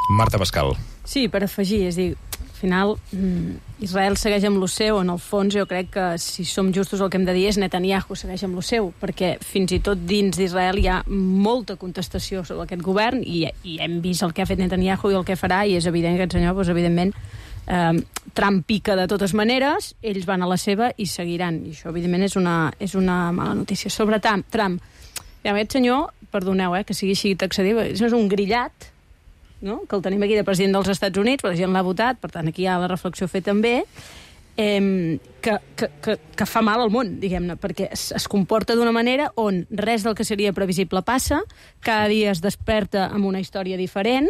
Marta Pascal. Sí, per afegir, és a dir, al final Israel segueix amb lo seu, en el fons jo crec que si som justos el que hem de dir és Netanyahu segueix amb lo seu, perquè fins i tot dins d'Israel hi ha molta contestació sobre aquest govern i hem vist el que ha fet Netanyahu i el que farà, i és evident que aquest senyor, doncs, evidentment, Trump pica de totes maneres, ells van a la seva i seguiran, i això evidentment és una mala notícia. Sobre Trump, aquest senyor, perdoneu que sigui així taxatiu, és un grillat, no? Que el tenim aquí de president dels Estats Units, però la gent l'ha votat, per tant aquí hi ha la reflexió a fer també, que fa mal al món, diguem-ne, perquè es comporta d'una manera on res del que seria previsible passa, cada dia es desperta amb una història diferent,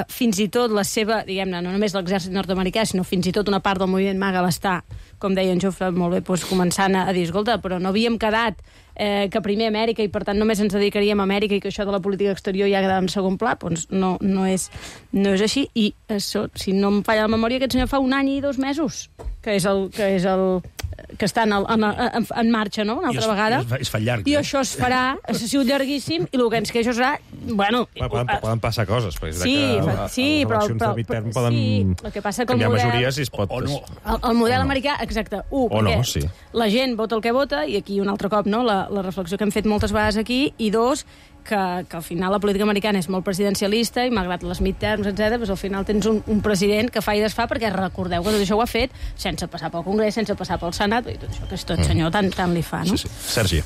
fins i tot la seva, diguem-ne, no només l'exèrcit nord-americà, sinó fins i tot una part del moviment MAGA l'està, com deia en Jofre molt bé, doncs, començant a dir, escolta, però no havíem quedat que primer Amèrica i per tant només ens dedicaríem a Amèrica i que això de la política exterior ja quedava en segon pla, doncs no és així, i això, si no em falla la memòria, aquest senyor fa 1 any i 2 mesos que està en marxa, no?, una altra vegada. Es fa llarg. I això es farà, ha sigut llarguíssim, i el que ens queixa serà, bueno... Poden passar coses, perquè sí, però el que passa que el model... majories i es pot... El model americà, exacte, perquè la gent vota el que vota, i aquí un altre cop, no?, la reflexió que hem fet moltes vegades aquí, i 2, que al final la política americana és molt presidencialista i malgrat les midterms, etc., doncs al final tens un president que fa i desfà, perquè recordeu que tot això ho ha fet sense passar pel Congrés, sense passar pel Senat, i tot això que és tot senyor tant li fa, no? Sí. Sergi.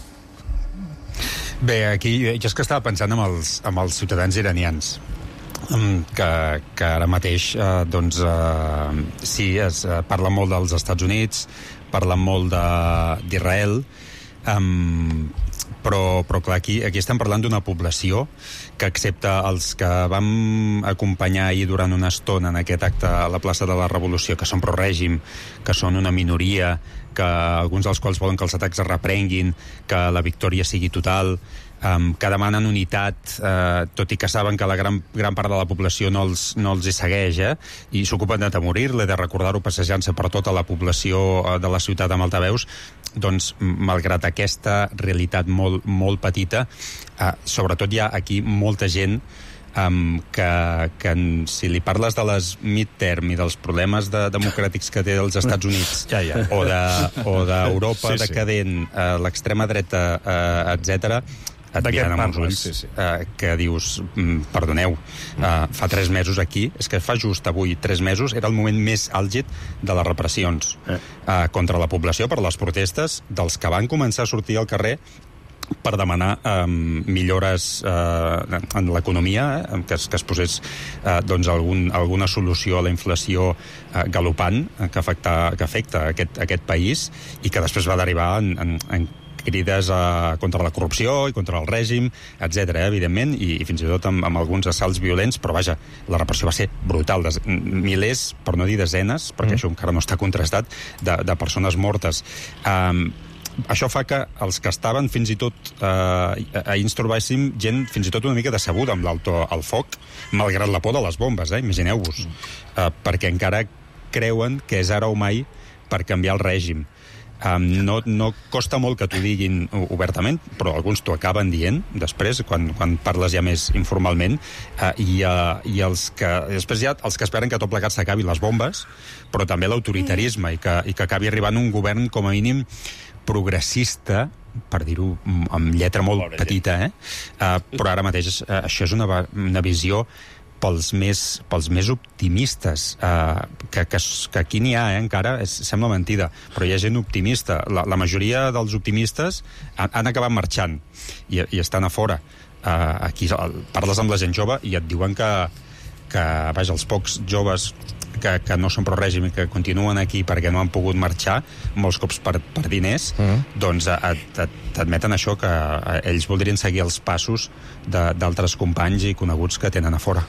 Bé, aquí jo és que estava pensant amb els ciutadans iranians, que ara mateix sí, es parla molt dels Estats Units, parla molt d'Israel, però clar, aquí estem parlant d'una població que, excepte els que vam acompanyar ahir durant una estona en aquest acte a la plaça de la Revolució, que són pro-règim, que són una minoria, que alguns dels quals volen que els atacs es reprenguin, que la victòria sigui total, que demanen unitat, tot i que saben que la gran part de la població no els hi segueix, i s'ocupen d'atemorir-la, de recordar-ho passejant-se per tota la població de la ciutat amb altaveus, doncs, malgrat aquesta realitat molt, molt petita, sobretot hi ha aquí molta gent que si li parles de les midterm i dels problemes democràtics que té els Estats Units o d'Europa decadent, l'extrema dreta, etc., et miren amb uns ulls que dius, perdoneu, fa 3 mesos aquí, és que fa just avui 3 mesos, era el moment més àlgid de les repressions contra la població per les protestes dels que van començar a sortir al carrer per demanar millores en l'economia, que es posés alguna solució a la inflació galopant que afecta aquest país i que després va derivar en crides contra la corrupció i contra el règim, etc., evidentment, i fins i tot amb alguns assalts violents, però vaja, la repressió va ser brutal. Milers, per no dir desenes, perquè això encara no està contrastat, de persones mortes. Això fa que els que estaven fins i tot ahir ens trobéssim gent fins i tot una mica decebuda amb l'alto al foc, malgrat la por de les bombes, imagineu-vos, perquè encara creuen que és ara o mai per canviar el règim. No costa molt que t'ho diguin obertament, però alguns t'ho acaben dient després, quan parles ja més informalment, i després hi ha els que esperen que tot plegat s'acabi les bombes, però també l'autoritarisme, i que acabi arribant un govern com a mínim progressista, per dir-ho amb lletra molt petita, però ara mateix això és una visió pels més optimistes, que aquí n'hi ha, encara, sembla mentida, però hi ha gent optimista. La majoria dels optimistes han acabat marxant i estan a fora. Aquí parles amb la gent jove i et diuen que vaja, els pocs joves que no són pro-règim i que continuen aquí perquè no han pogut marxar, molts cops per diners, doncs t'admeten això, que ells voldrien seguir els passos d'altres companys i coneguts que tenen a fora.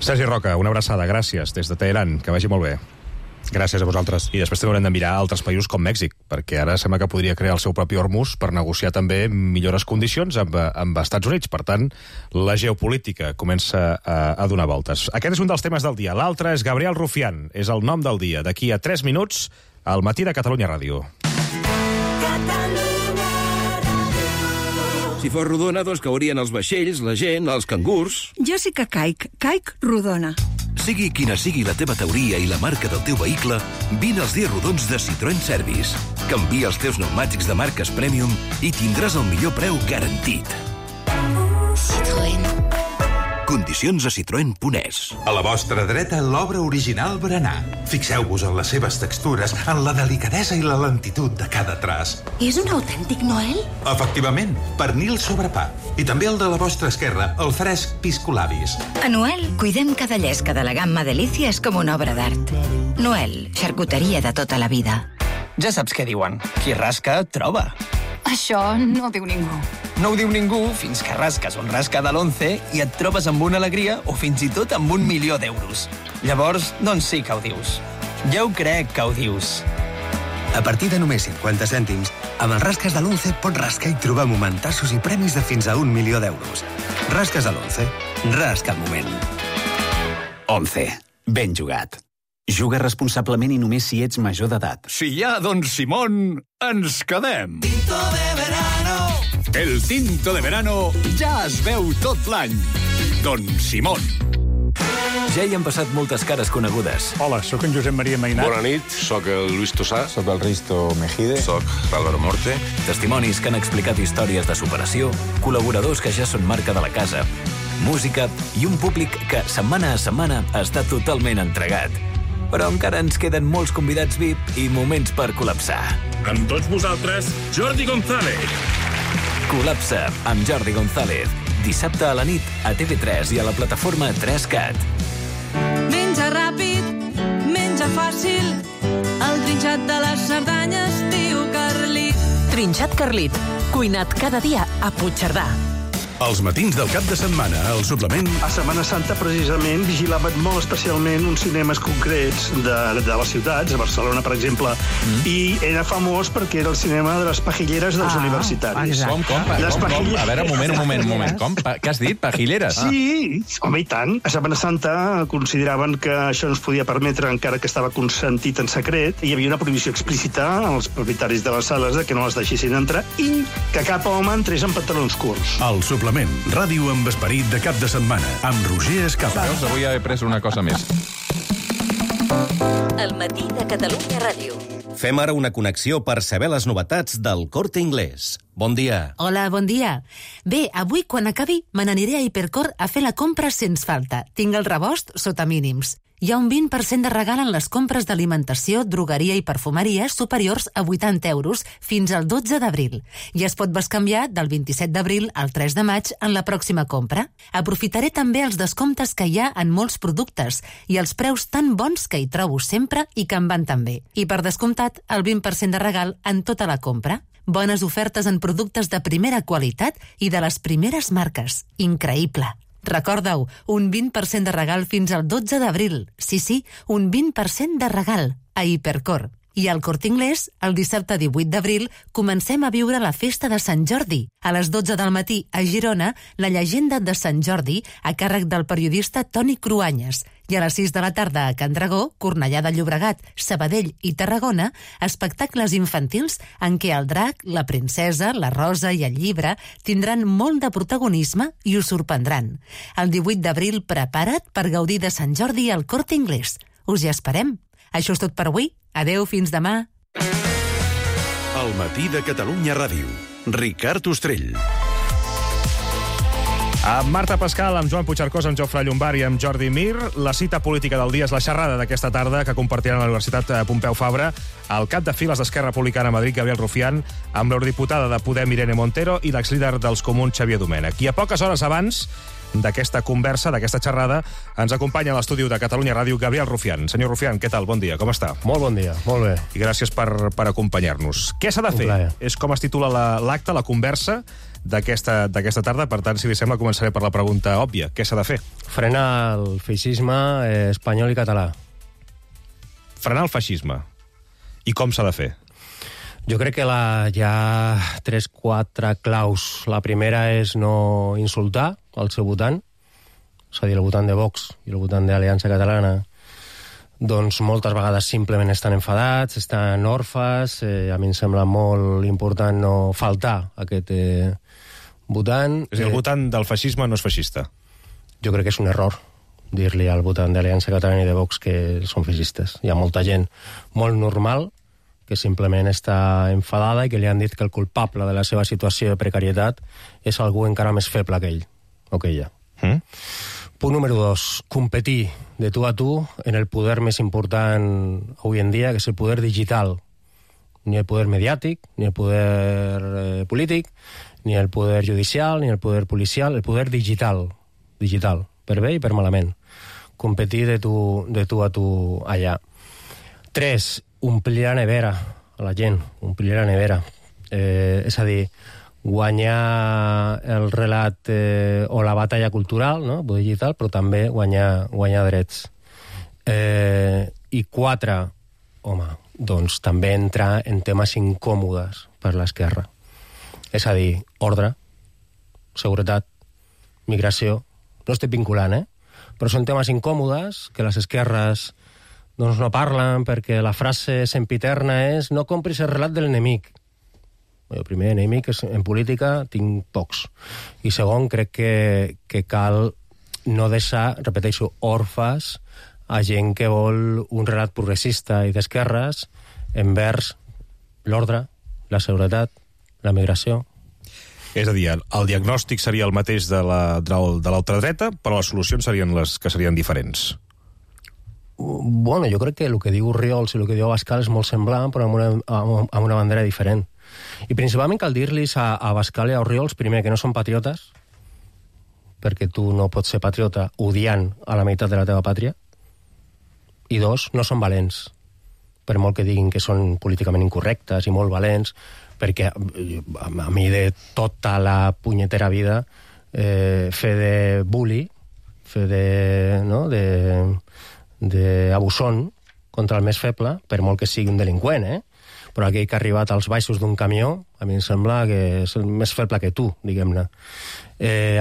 Sergi Roca, una abraçada, gràcies, des de Teheran, que vagi molt bé. Gràcies a vosaltres. I després també haurem de mirar altres països com Mèxic, perquè ara sembla que podria crear el seu propi Hormuz per negociar també millores condicions amb Estats Units. Per tant, la geopolítica comença a donar voltes. Aquest és un dels temes del dia. L'altre és Gabriel Rufián. És el nom del dia. D'aquí a 3 minuts, al matí de Catalunya Ràdio. Si fos rodona, doncs caurien els vaixells, la gent, els cangurs. Jo sí que caic rodona. Sigui quina sigui la teva teoria i la marca del teu vehicle, vine als dies rodons de Citroën Service. Canvia els teus pneumàtics de marques Premium i tindràs el millor preu garantit. Citroën. Condicions a citroen.es. A la vostra dreta, l'obra original Berenar. Fixeu-vos en les seves textures, en la delicadesa i la lentitud de cada traç. És un autèntic Noel? Efectivament, pernil sobre pa. I també el de la vostra esquerra, el fresc piscolabis. A Noel, cuidem cada llesca de la gamma Delícies com una obra d'art. Noel, xarcuteria de tota la vida. Ja saps què diuen. Qui rasca, troba. Això no ho diu ningú. No ho diu ningú fins que rasques un rasca de l'11 i et trobes amb una alegria o fins i tot amb 1.000.000 d'euros. Llavors, doncs sí que ho dius. Jo ho crec que ho dius. A partir de només 50 cèntims, amb els rasques de l'11 pots rascar i trobar momentassos i premis de fins a 1.000.000 d'euros. Rasques de l'11. Rasca el moment. 11. Ben jugat. Juga responsablement i només si ets major d'edat. Si hi ha Don Simón, ens quedem. Tinto de verano. El tinto de verano ja es veu tot l'any. Don Simón. Ja hi han passat moltes cares conegudes. Hola, sóc en Josep Maria Mainat. Bona nit, sóc el Luis Tosà. Sóc el Risto Mejide. Sóc l'Álvaro Morte. Testimonis que han explicat històries de superació, col·laboradors que ja són marca de la casa, música i un públic que setmana a setmana està totalment entregat. Però encara ens queden molts convidats VIP i moments per col·lapsar. Amb tots vosaltres, Jordi González. Col·lapsa amb Jordi González. Dissabte a la nit a TV3 i a la plataforma 3CAT. Menja ràpid, menja fàcil, el trinxat de les Cerdanyes diu Carlit. Trinxat Carlit, cuinat cada dia a Puigcerdà. Els matins del cap de setmana, al suplement... A Setmana Santa, precisament, vigilaven molt especialment uns cinemes concrets de les ciutats, a Barcelona, per exemple, i era famós perquè era el cinema de les pajilleres dels universitaris. Com? A veure, un moment. Com? Què has dit? Pajilleres? Sí, home, i tant. A Setmana Santa consideraven que això no es podia permetre encara que estava consentit en secret, i hi havia una prohibició explícita als propietaris de les sales de que no les deixessin entrar i que cap home entrés en pantalons curts. El suplement. Ràdio amb esperit de cap de setmana, amb Roger Escapa. Veus, avui he pres una cosa més. El matí de Catalunya Ràdio. Fem ara una connexió per saber les novetats del Corte Inglés. Bon dia. Hola, bon dia. Bé, avui, quan acabi, me n'aniré a Hipercor a fer la compra sens falta. Tinc el rebost sota mínims. Hi ha un 20% de regal en les compres d'alimentació, drogueria i perfumeria superiors a 80 euros fins al 12 d'abril. I es pot bescanviar del 27 d'abril al 3 de maig en la pròxima compra. Aprofitaré també els descomptes que hi ha en molts productes i els preus tan bons que hi trobo sempre i que em van tan bé. I per descomptat, el 20% de regal en tota la compra. Bones ofertes en productes de primera qualitat i de les primeres marques. Increïble. Recorda-ho, un 20% de regal fins al 12 d'abril. Sí, un 20% de regal a Hipercor. I al Corte Inglés, el dissabte 18 d'abril, comencem a viure la festa de Sant Jordi. A les 12 del matí, a Girona, la llegenda de Sant Jordi, a càrrec del periodista Toni Cruanyes. I a les 6 de la tarda a Can Dragó, Cornellà de Llobregat, Sabadell i Tarragona, espectacles infantils en què el drac, la princesa, la rosa i el llibre tindran molt de protagonisme i us sorprendran. El 18 d'abril, prepara't per gaudir de Sant Jordi al Corte Inglés. Us hi esperem. Això és tot per avui. Adeu, fins demà. El matí de Catalunya Ràdio. Ricard Ostrell. Amb Marta Pascal, amb Joan Puigcercós, amb Jofre Llombart i amb Jordi Mir. La cita política del dia és la xerrada d'aquesta tarda que compartiran a la Universitat Pompeu Fabra el cap de files d'Esquerra Republicana a Madrid, Gabriel Rufián, amb l'eurodiputada de Podem, Irene Montero, i l'exlíder dels Comuns, Xavier Domènech. I a poques hores abans d'aquesta conversa, d'aquesta xerrada, ens acompanya a l'estudi de Catalunya Ràdio Gabriel Rufián. Senyor Rufián, què tal? Bon dia, com està? Molt bon dia, molt bé. I gràcies per acompanyar-nos. Què s'ha de fer? És com es titula l'acte, la conversa d'aquesta tarda. Per tant, si li sembla, començaré per la pregunta òbvia. Què s'ha de fer? Frenar el feixisme espanyol i català. Frenar el feixisme. I com s'ha de fer? Jo crec que hi ha 3-4 claus. La primera és no insultar el seu votant, és a dir, el votant de Vox i el votant d'Aliança Catalana, doncs moltes vegades simplement estan enfadats, estan orfes. A mi em sembla molt important no faltar a aquest votant. És a dir, el votant del feixisme no és feixista? Jo crec que és un error. dir-li al votant d'Aliança Catalana i de Vox que són feixistes. Hi ha molta gent molt normal que simplement està enfadada i que li han dit que el culpable de la seva situació de precarietat és algú encara més feble que ell o que ella. Punt número 2. Competir de tu a tu en el poder més important avui en dia, que és el poder digital. Ni el poder mediàtic, ni el poder polític, ni el poder judicial, ni el poder policial, el poder digital. Digital, per bé i per malament. Competir de tu a tu allà. 3. Omplir la nevera a la gent, omplir la nevera. És a dir, guanyar el relat o la batalla cultural, no? Poder digital, però també guanyar drets. I 4, home, doncs també entrar en temes incòmodes per l'esquerra. És a dir, ordre, seguretat, migració. No estic vinculant, però són temes incòmodes que les esquerres doncs no parlen perquè la frase sempiterna és no compris el relat de l'enemic. El primer enemic en política tinc pocs. I segon, crec que cal no deixar, repeteixo, orfes a gent que vol un relat progressista i d'esquerres envers l'ordre, la seguretat, la migració. És a dir, el diagnòstic seria el mateix de l'ultradreta, però les solucions serien les que serien diferents. Bueno, jo crec que el que diu Orriols i el que diu Abascal és molt semblant, però amb una bandera diferent. I principalment cal dir-los a Abascal i a Orriols, primer, que no són patriotes, perquè tu no pots ser patriota odiant a la meitat de la teva pàtria, i 2, no són valents, per molt que diguin que són políticament incorrectes i molt valents, perquè a mi de tota la punyetera vida fer de bully, fer d'abusón contra el més feble, per molt que sigui un delinqüent, però aquell que ha arribat als baixos d'un camió, a mi em sembla que és el més feble que tu, diguem-ne.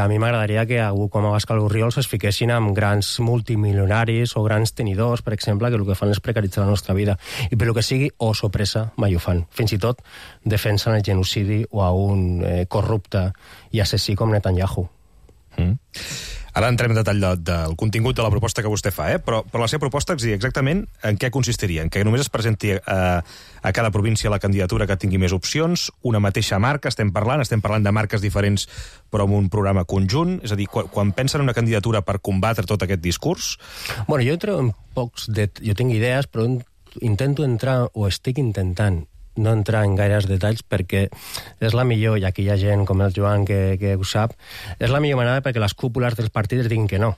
A mi m'agradaria que algú com Abascal o Orriols es fiquessin amb grans multimilionaris o grans tenidors, per exemple, que el que fan és precaritzar la nostra vida. I per el que sigui, o sorpresa, mai ho fan. Fins i tot defensen el genocidi o a un corrupte i assassí com Netanyahu. Ara entrem en detall del contingut de la proposta que vostè fa, però la seva proposta exactament en què consistiria? En què només es presenti a cada província la candidatura que tingui més opcions, una mateixa marca, estem parlant de marques diferents però amb un programa conjunt? És a dir, quan pensen en una candidatura per combatre tot aquest discurs? Bueno, jo entro en jo tinc idees, però intento entrar, o estic intentant, no entrar en gaires detalls perquè és la millor, i aquí hi ha gent com el Joan que ho sap, és la millor manera perquè les cúpules dels partits diguin que no.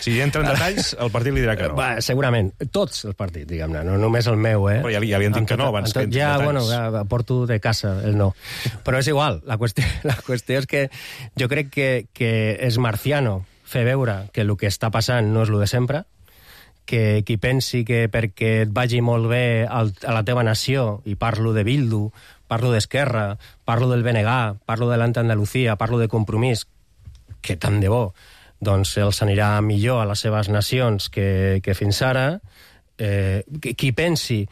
Si entra en detalls, el partit li dirà que no. Segurament, tots els partits, diguem-ne, no només el meu, Però ja li han dit que no abans que entri en detalls. Bueno, ja porto de casa el no. Però és igual, la qüestió és que jo crec que és marciano fer veure que el que està passant no és el de sempre, que qui pensi que perquè et vagi molt bé a la teva nació, i parlo de Bildu, parlo d'Esquerra, parlo del BNG, parlo de l'Andalusia, parlo de Compromís, que tant de bo, doncs els anirà millor a les seves nacions que fins ara, qui pensi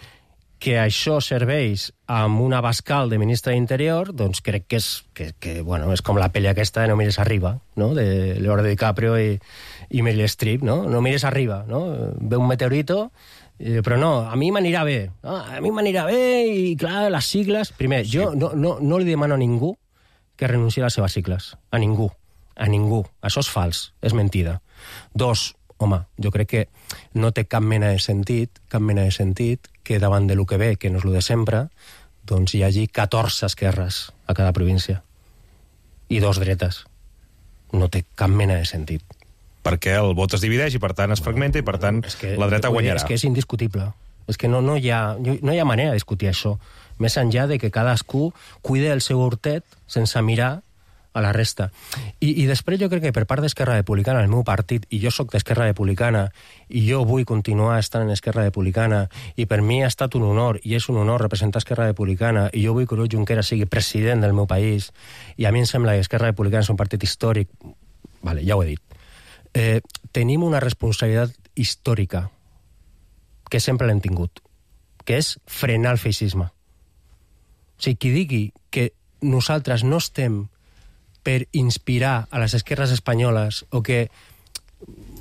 que això serveix amb un Abascal de ministre d'Interior, doncs crec que és com la pel·li aquesta de No mires arriba, no? De Leonardo DiCaprio i Meryl Streep, no? No mires arriba, no? Ve un meteorito, però no, a mi m'anirà bé. A mi m'anirà bé i, clar, les sigles... Primer, jo no li demano a ningú que renunciï a les seves sigles. A ningú. A ningú. Això és fals. És mentida. 2, home, jo crec que no té cap mena de sentit que davant de lo que ve, que no és lo de sempre, doncs hi hagi 14 esquerres a cada província. I 2 dretes. No té cap mena de sentit. Perquè el vot es divideix i, per tant, es fragmenta i, per tant, la dreta guanyarà. És que és indiscutible. És que no hi ha manera de discutir això. Més enllà de que cadascú cuide el seu hortet sense mirar a la resta. I després jo crec que per part d'Esquerra Republicana, el meu partit, i jo sóc d'Esquerra Republicana, i jo vull continuar estant en Esquerra Republicana, i per mi ha estat un honor, i és un honor representar Esquerra Republicana, i jo vull que Oriol Junqueras sigui president del meu país, i a mi em sembla que Esquerra Republicana és un partit històric. Vale, ja ho he dit. Tenim una responsabilitat històrica que sempre l'hem tingut, que és frenar el feixisme. O sigui, qui digui que nosaltres no estem per inspirar a les esquerres espanyoles o que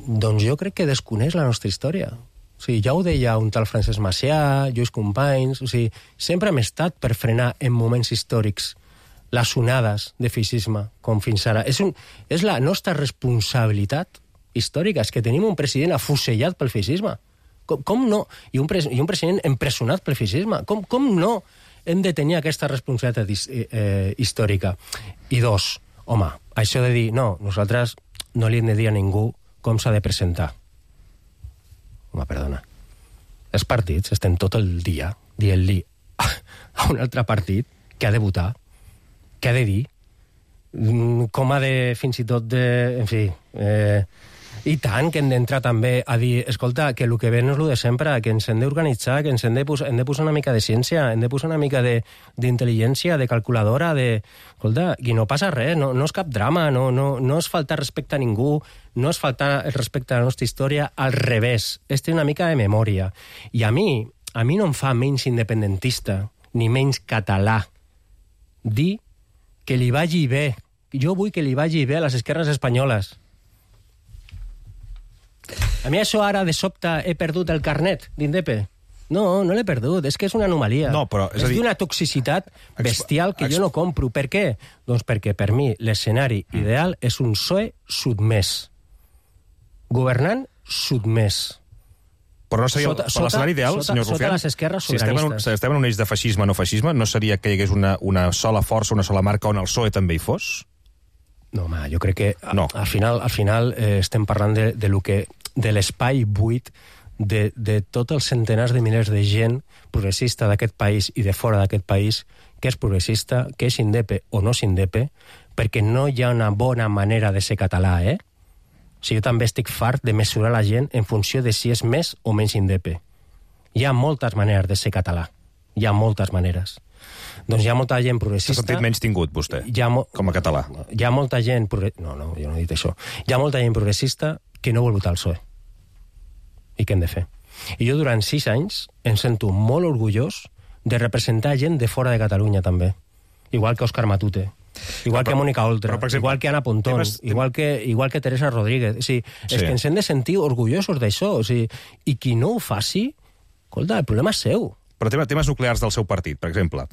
Doncs jo crec que desconeix la nostra història. O sigui, ja ho deia un tal Francesc Macià, Lluís Companys... O sigui, sempre hem estat per frenar en moments històrics les onades de feixisme, com fins ara. És la nostra responsabilitat històrica, és que tenim un president afusellat pel feixisme. Com no? I un president empresonat pel feixisme. Com no hem de tenir aquesta responsabilitat històrica? I dos, home, això de dir, no, nosaltres no li hem de dir a ningú com s'ha de presentar. Home, perdona. Els partits estem tot el dia dient-li a un altre partit que ha de votar, que ha de dir, com ha de, fins i tot, en fi... I tant que hem d'entrar també a dir, escolta, que el que ve no és el de sempre, que ens hem d'organitzar, que ens hem de posar una mica de ciència, hem de posar una mica d'intel·ligència, de calculadora, escolta, i no passa res, no és cap drama, no és faltar respecte a ningú, no és faltar el respecte a la nostra història, al revés, és tenir una mica de memòria. I a mi no em fa menys independentista, ni menys català, dir que li vagi bé. Jo vull que li vagi bé a les esquerres espanyoles. A mi això ara, de sobte, he perdut el carnet d'Indepe. No l'he perdut, és que és una anomalia. No, però, és d'una toxicitat bestial que jo no compro. Per què? Doncs perquè, per mi, l'escenari ideal és un PSOE sotmès. Governant sotmès. Però no seria l'escenari ideal, senyor Rufián? Sota les esquerres sobiranistes. Si estem en un eix de feixisme, no feixisme, no seria que hi hagués una sola força, una sola marca on el PSOE també hi fos? No, home, jo crec que al final estem parlant de l'espai buit de tots els centenars de milers de gent progressista d'aquest país i de fora d'aquest país que és progressista, que és indepe o no és indepe, perquè no hi ha una bona manera de ser català, O sigui, jo també estic fart de mesurar la gent en funció de si és més o menys indepe. Hi ha moltes maneres de ser català. Hi ha moltes maneres. Doncs hi ha molta gent progressista... S'ha sentit menys tingut, vostè, com a català. Hi ha molta gent... No, jo no he dit això. Hi ha molta gent progressista que no vol votar el PSOE. I què hem de fer? I jo durant 6 anys em sento molt orgullós de representar gent de fora de Catalunya, també. Igual que Òscar Matute, igual que Mónica Oltra, igual que Ana Pontón, igual que Teresa Rodríguez. O sigui, és que ens hem de sentir orgullosos d'això. O sigui, i qui no ho faci, escolta, el problema és seu. Però temes nuclears del seu partit, per exemple,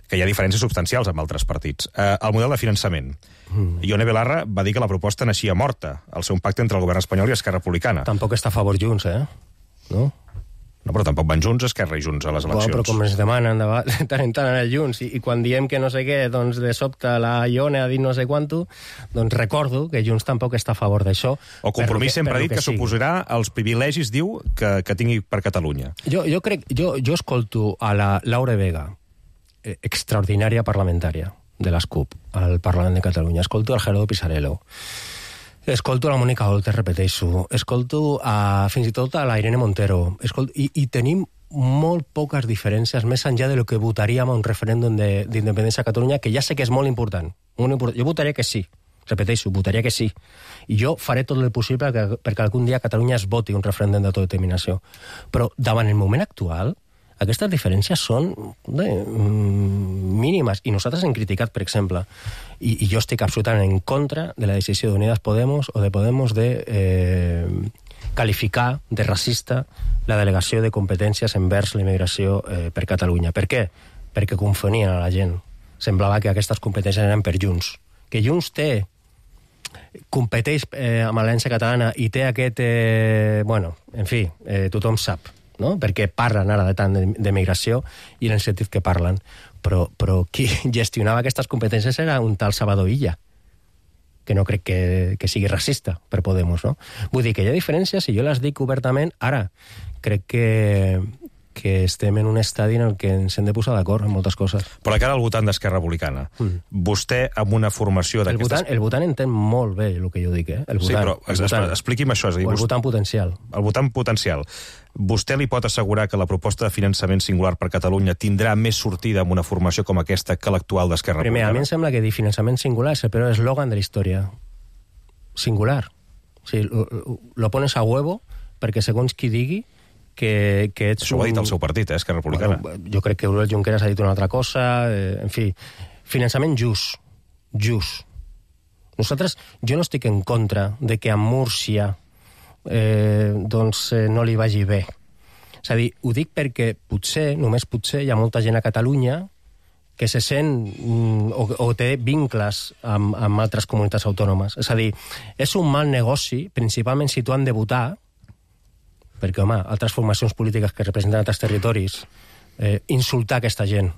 que hi ha diferències substancials amb altres partits. El model de finançament. Ione Belarra va dir que la proposta naixia morta, al ser un pacte entre el govern espanyol i Esquerra Republicana. Tampoc està a favor Junts, No? No, però tampoc van Junts, Esquerra i Junts a les eleccions. Però com ens demanen de tant en tant anar Junts, i quan diem que no sé què, doncs de sobte la Ione ha dit no sé quanto, doncs recordo que Junts tampoc està a favor d'això. O Compromís sempre ha dit que suposarà els privilegis, diu, que tingui per Catalunya. Jo escolto a la Laura Vega, extraordinària parlamentària de les CUP, al Parlament de Catalunya. Escolto al Gerardo Pisarello. Escolto a la Mónica Oltra, repeteixo. Escolto fins i tot a la Irene Montero. I tenim molt poques diferències més enllà de lo que votaríem a un referèndum d'independència a Catalunya, que ja sé que és molt important. Jo votaria que sí. Repeteixo, votaria que sí. I jo faré tot el possible perquè algun dia a Catalunya es voti un referèndum d'autodeterminació. Però davant el moment actual, aquestes diferències són mínimes. I nosaltres hem criticat, per exemple, i jo estic absolutament en contra de la decisió d'Unidas Podemos o de Podemos de qualificar de racista la delegació de competències envers la immigració per Catalunya. Per què? Perquè confonien a la gent. Semblava que aquestes competències eren per Junts. Que Junts competeix amb l'Aliança Catalana i té aquest... en fi, tothom sap, no? Perquè parlen ara de tant de migració i en el sentit que parlen. Però qui gestionava aquestes competències era un tal Salvador Illa, que no crec que sigui racista per Podemos, no? Vull dir que hi ha diferències i jo les dic obertament. Ara, crec que estem en un estadi en el que ens hem de posar d'acord en moltes coses. Però de cara al votant d'Esquerra Republicana, vostè amb una formació d'aquestes... El votant entén molt bé el que jo dic, El votant, sí, però expliqui'm això. És a dir, el votant potencial. El votant potencial. Vostè li pot assegurar que la proposta de finançament singular per Catalunya tindrà més sortida amb una formació com aquesta que l'actual d'Esquerra Republicana? Primer, a mi em sembla que dir finançament singular és el peor eslògan de la història. Singular. O sigui, lo pones a huevo perquè segons qui digui que ets... Això ho ha dit el seu partit, Esquerra Republicana. Bueno, jo crec que Oriol Junqueras ha dit una altra cosa. En fi, finançament just. Nosaltres, jo no estic en contra de que a Múrcia no li vagi bé. És a dir, ho dic perquè potser, només potser, hi ha molta gent a Catalunya que se sent o té vincles amb altres comunitats autònomes. És a dir, és un mal negoci, principalment si tu han de votar, perquè, home, altres formacions polítiques que representen altres territoris, insultar aquesta gent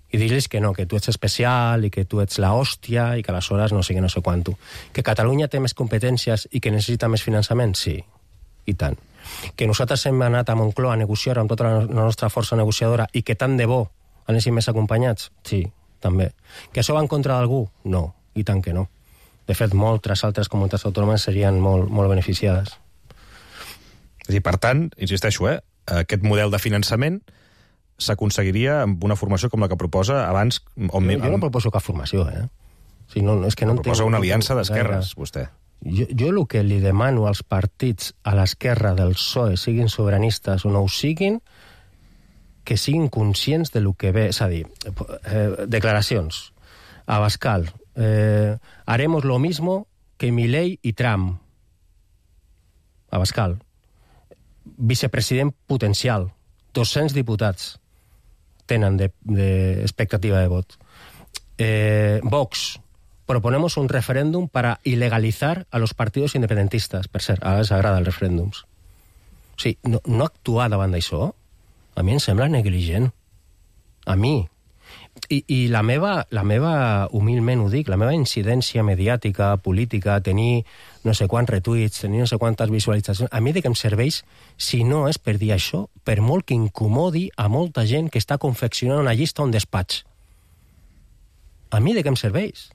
i dir-los que no, que tu ets especial i que tu ets la hòstia i que aleshores no sé què, no sé quanto. Que Catalunya té més competències i que necessita més finançament? Sí, i tant. Que nosaltres hem anat a Moncloa a negociar amb tota la nostra força negociadora i que tant de bo anéssim més acompanyats? Sí, també. Que això va en contra d'algú? No, i tant que no. De fet, moltes altres comunitats autònomes serien molt, molt beneficiades. És a dir, per tant, insisteixo, aquest model de finançament s'aconseguiria amb una formació com la que proposa abans... Jo no proposo cap formació, O sigui, no, és que no proposa una aliança d'esquerres, vostè. Jo el que li demano als partits a l'esquerra del PSOE, siguin sobiranistes o no ho siguin, que siguin conscients de lo que ve. És a dir, declaracions. Abascal, haremos lo mismo que Milei y Trump. Abascal, vicepresident potencial, 200 diputats tenen d'expectativa de vot. Vox, proponemos un referéndum para ilegalizar a los partidos independentistas. Per cert, ara els agrada els referèndums. O sigui, no actuar davant d'això, a mi em sembla negligent. A mi. I la meva, humilment ho dic, la meva incidència mediàtica, política, tenir no sé quants retuits, tenir no sé quantes visualitzacions, a mi de què em serveix si no és per dir això, per molt que incomodi a molta gent que està confeccionant una llista a un despatx. A mi de què em serveix?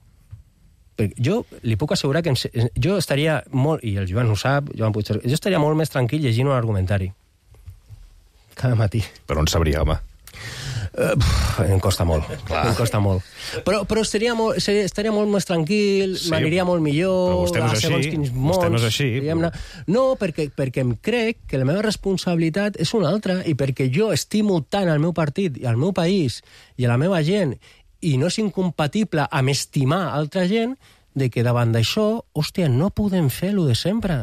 Jo li puc assegurar que jo estaria molt, i el Joan ho sap, jo estaria molt més tranquil llegint un argumentari. Cada matí. Però on sabria, home? Em costa molt. Em costa molt. Però estaria molt més tranquil, sí, m'aniria molt millor. Però vostè no és així. Vostè no és així. No, perquè em crec que la meva responsabilitat és una altra i perquè jo estimo tant el meu partit i el meu país i a la meva gent i no és incompatible amb estimar altra gent de que davant d'això, hòstia, no podem fer lo de sempre.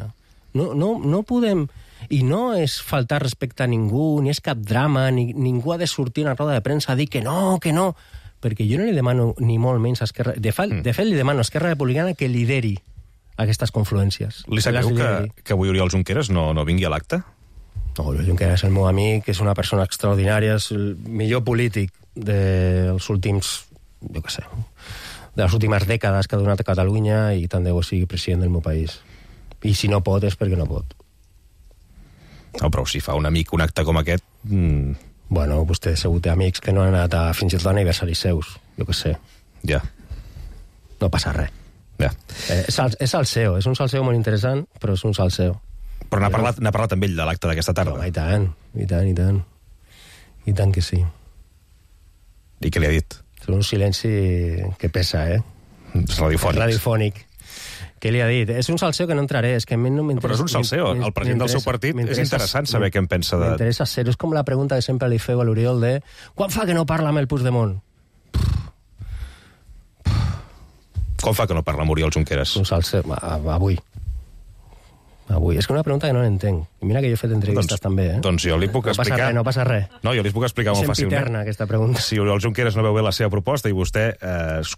No podem... I no és faltar respecte a ningú, ni és cap drama, ni ningú ha de sortir a una roda de premsa a dir que no, perquè jo no li demano ni molt menys a Esquerra... De fet, li demano a Esquerra Republicana que lideri aquestes confluències. Li sap greu que avui Oriol Junqueras no vingui a l'acte? No, Oriol Junqueras és el meu amic, és una persona extraordinària, és el millor polític dels últims, jo què sé, de les últimes dècades que ha donat a Catalunya i tant de bo sigui president del meu país. I si no pot és perquè no pot. No, però si fa un amic un acte com aquest... Bueno, vostè segur té amics que no han anat a fins i tot aniversaris seus, jo què sé. Ja. No passa res. Ja. És salseo, és un salseo molt interessant, però és un salseo. Però n'ha parlat amb ell de l'acte d'aquesta tarda? No, i tant. I tant que sí. I què li ha dit? És un silenci que pesa, És radiofònic. Què li ha dit? És un salseo que no entraré, és que a mi no m'interessa... Però és un salseo, el president del seu partit és interessant saber què en pensa de... M'interessa ser, és com la pregunta que sempre li feu a l'Oriol de quan fa que no parla amb el Puigdemont? Com fa que no parla amb Oriol Junqueras? Un salseo, avui. És que una pregunta que no l'entenc. I mira que jo he fet entrevistes també, Doncs jo li puc explicar... No passa res. No, jo li puc explicar molt fàcilment. És sempiterna, aquesta pregunta. Si Oriol Junqueras no veu bé la seva proposta i vostè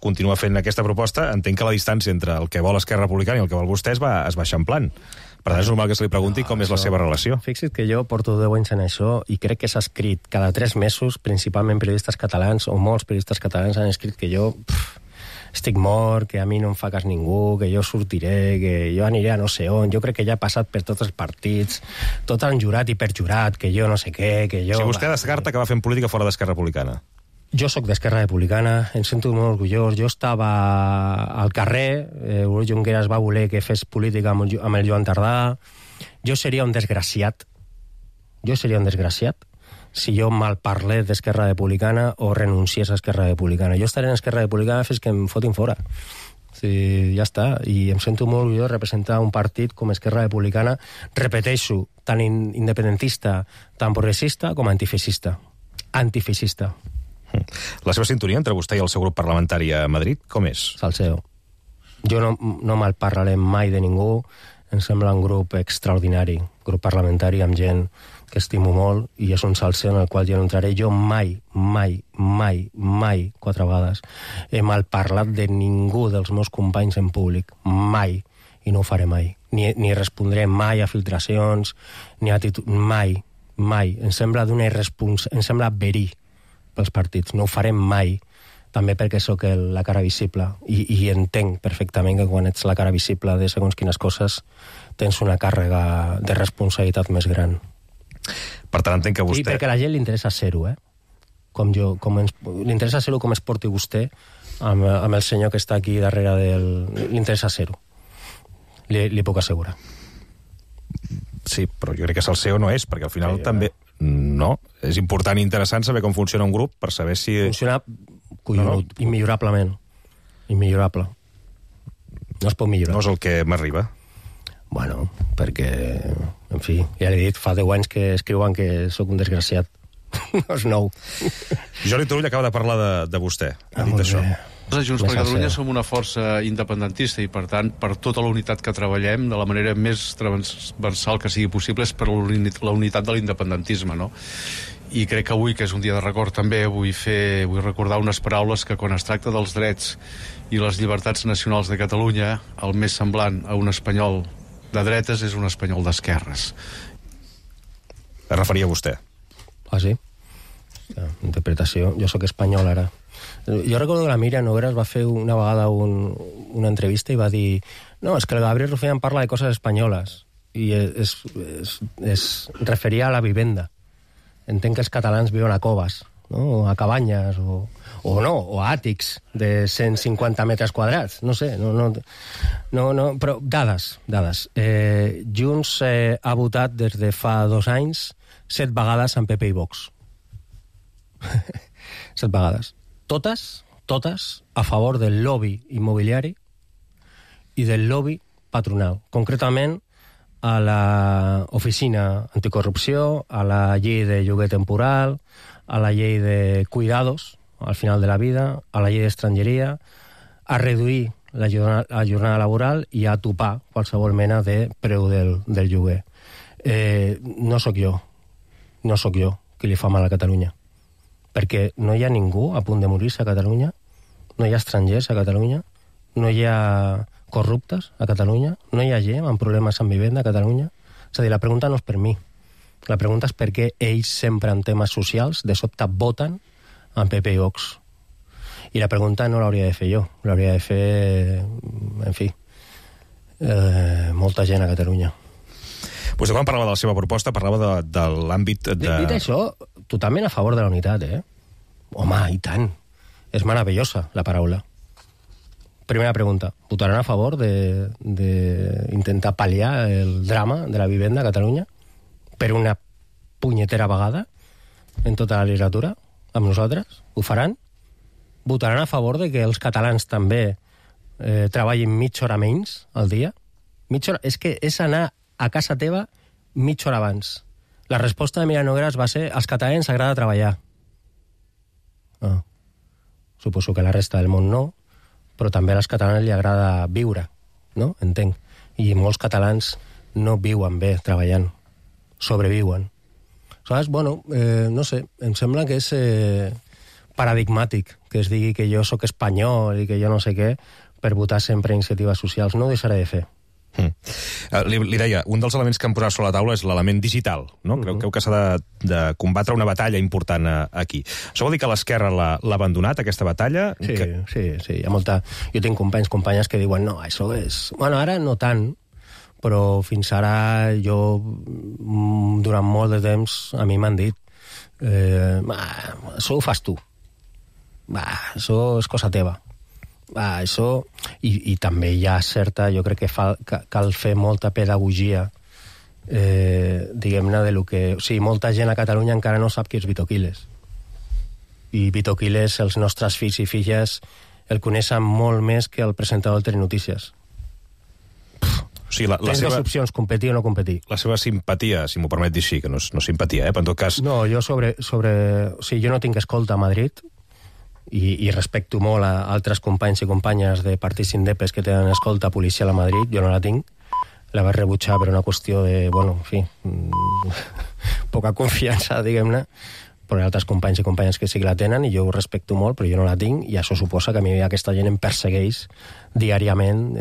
continua fent aquesta proposta, entenc que la distància entre el que vol Esquerra Republicana i el que vol vostè es va eixamplant. Per tant, és normal que se li pregunti com és la seva relació. Fixa't que jo porto 10 anys en això i crec que s'ha escrit cada 3 mesos, principalment periodistes catalans, o molts periodistes catalans han escrit que jo... estic mort, que a mi no em fa cas ningú, que jo sortiré, que jo aniré a no sé on. Jo crec que ja he passat per tots els partits, tot han jurat i perjurat, que jo no sé què, que jo... Si vostè descarta que va fent política fora d'Esquerra Republicana. Jo sóc d'Esquerra Republicana, em sento molt orgullós. Jo estava al carrer, Oriol Junqueras va voler que fes política amb el Joan Tardà. Jo seria un desgraciat. Si jo malparlés d'Esquerra Republicana o renunciés a Esquerra Republicana. Jo estaré en Esquerra Republicana fins que em fotin fora. Sí, ja està. I em sento molt orgullós de representar un partit com Esquerra Republicana, repeteixo, tan independentista, tan progressista com antifeixista. Antifeixista. La seva sintonia entre vostè i el seu grup parlamentari a Madrid, com és? Salseo. Jo no malparlaré mai de ningú, Em sembla un grup extraordinari, grup parlamentari amb gent que estimo molt, i és un salser en el qual jo no entraré. Jo mai, 4 vegades, he malparlat de ningú dels meus companys en públic. Mai. I no ho faré mai. Ni respondré mai a filtracions, ni a mai. Em sembla em sembla verí pels partits. No ho faré mai. També perquè sóc la cara visible. I entenc perfectament que quan ets la cara visible de segons quines coses tens una càrrega de responsabilitat més gran. Per tant, entenc que vostè... I perquè a la gent li interessa ser-ho, li interessa ser-ho com es porti vostè amb el senyor que està aquí darrere li interessa ser-ho. Li puc assegurar. Sí, però jo crec que salseo no és, perquè al final també... No, és important i interessant saber com funciona un grup per saber si... Funciona collonut, immillorablement. Immillorable. No es pot millorar. No és el que m'arriba. Bueno, perquè, en fi, ja l'he dit, fa 10 anys que escriuen que sóc un desgraciat. No és nou. Jordi Turull acaba de parlar de vostè. Ha dit això. Nosaltres, Junts per Catalunya, som una força independentista i, per tant, per tota la unitat que treballem, de la manera més transversal que sigui possible, és per la unitat de l'independentisme, no? I crec que avui, que és un dia de record també, vull recordar unes paraules que quan es tracta dels drets i les llibertats nacionals de Catalunya, el més semblant a un espanyol de dretes és un espanyol d'esquerres. Es referia a vostè? Ah, sí? Interpretació. Jo sóc espanyol, ara. Jo recordo que la Míriam Nogueras va fer una vegada una entrevista i va dir no, és que el Gabriel Rufián parla de coses espanyoles i es referia a la vivenda. Entenc que els catalans viuen a coves, no? O a cabanyes o a àtics de 150 metres quadrats, no sé, no, però dades. Junts ha votat des de fa 2 anys 7 vegades amb PP i Vox. 7 vegades. Totes a favor del lobby immobiliari i del lobby patronal. Concretament, a l'oficina anticorrupció, a la llei de lloguer temporal, a la llei de cuidados al final de la vida, a la llei d'estrangeria, a reduir la jornada laboral i a topar qualsevol mena de preu del lloguer. No sóc jo qui li fa mal a Catalunya, perquè no hi ha ningú a punt de morir-se a Catalunya, no hi ha estrangers a Catalunya, no hi ha corruptes a Catalunya, no hi ha gent amb problemes amb vivenda a Catalunya. És a dir, la pregunta no és per mi. La pregunta és per què ells sempre en temes socials de sobte voten amb PP i Vox. I la pregunta no l'hauria de fer jo, l'hauria de fer, en fi, molta gent a Catalunya. Vostè quan parlava de la seva proposta parlava de l'àmbit de... Dit això, totalment a favor de la unitat, Home, i tant. És meravellosa, la paraula. Primera pregunta. ¿Votarán a favor de intentar pal·liar el drama de la vivenda a Catalunya per una punyetera vegada en tota la legislatura amb nosaltres? Ho faran? Votaran a favor de que els catalans també treballin mitja hora menys al dia? Mitja hora? És que és anar a casa teva mitja hora abans. La resposta de Míriam Nogueras va ser als catalans agrada treballar. Suposo que la resta del món no, però també a les catalanes li agrada viure, no? Entenc. I molts catalans no viuen bé treballant, sobreviuen. Saps? Bueno, no sé, em sembla que és paradigmàtic que es digui que jo sóc espanyol i que jo no sé què per votar sempre iniciatives socials. No ho deixaré de fer. Li deia, un dels elements que hem posat sobre la taula és l'element digital, no? Creu que s'ha de combatre una batalla important aquí. Això vol dir que l'esquerra l'ha abandonat, aquesta batalla? Sí, hi ha molta... Jo tinc companyes que diuen, no, això és... Bueno, ara no tant, però fins ara jo, durant molt de temps, a mi m'han dit això ho fas tu. Això és cosa teva. Això, i també hi ha certa, jo crec que cal fer molta pedagogia diguem-ne de lo que... O sigui, molta gent a Catalunya encara no sap qui és Vito Quiles, i Vito Quiles, els nostres fills i filles el coneixen molt més que el presentador del Telenotícies. Sí, tens dues opcions, competir o no competir. La seva simpatia, si m'ho permet dir així, que no és simpatia, però en tot cas... No, jo o sigui, jo no tinc escolta a Madrid, i respecto molt a altres companys i companyes de partits indepes que tenen escolta policial a Madrid, jo no la tinc, la vaig rebutjar per una qüestió de, bueno, en fi, poca confiança, diguem-ne, però hi ha altres companys i companyes que sí que la tenen i jo ho respecto molt, però jo no la tinc, i això suposa que a mi aquesta gent em persegueix diàriament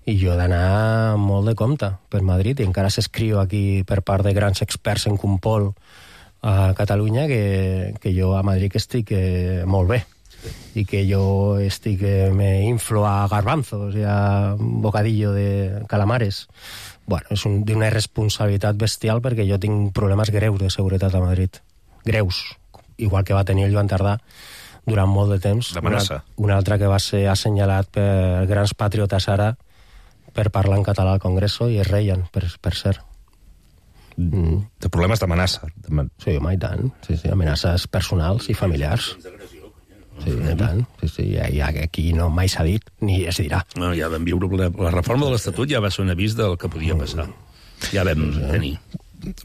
i jo he d'anar molt de compte per Madrid, i encara s'escriu aquí per part de grans experts en Compol a Catalunya que jo a Madrid estic molt bé, i que jo estic me inflo a garbanzos i a bocadillo de calamares. Bueno, és d'una irresponsabilitat bestial, perquè jo tinc problemes greus de seguretat a Madrid. Greus. Igual que va tenir el Joan Tardà durant molt de temps. D'amenaça. Un altre que va ser assenyalat per grans patriotes ara per parlar en català al Congreso, i es reien, per cert. De problemes d'amenaça. Sí, home, i tant. Sí, amenaces personals i familiars. Sí, i tant. Sí, aquí no mai s'ha dit, ni es dirà. No, ja vam viure la reforma de l'Estatut, ja va ser un avís del que podia passar. Ja vam tenir.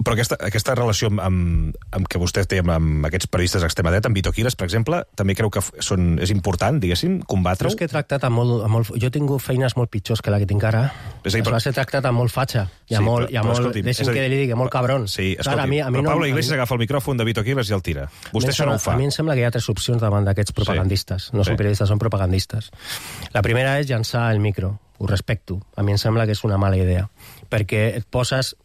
Però aquesta relació amb que vostè té amb aquests periodistes d'extrema dreta, amb Vito Quiles, per exemple, també creu que és important, diguéssim, combatre-ho? Jo és que he tractat amb molt... Jo he tingut feines molt pitjors que la que tinc ara. Va ser tractat amb molt fatxa. I molt... Deixi'm que li digui, molt cabron. Sí, escolti, però Pablo Iglesias agafa el micròfon de Vito Quiles i el tira. Vostè això no ho fa. A mi em sembla que hi ha 3 opcions davant d'aquests propagandistes. No són periodistes, són propagandistes. La primera és llançar el micro. Ho respecto. A mi em sembla que és una mala idea. Perquè et poses...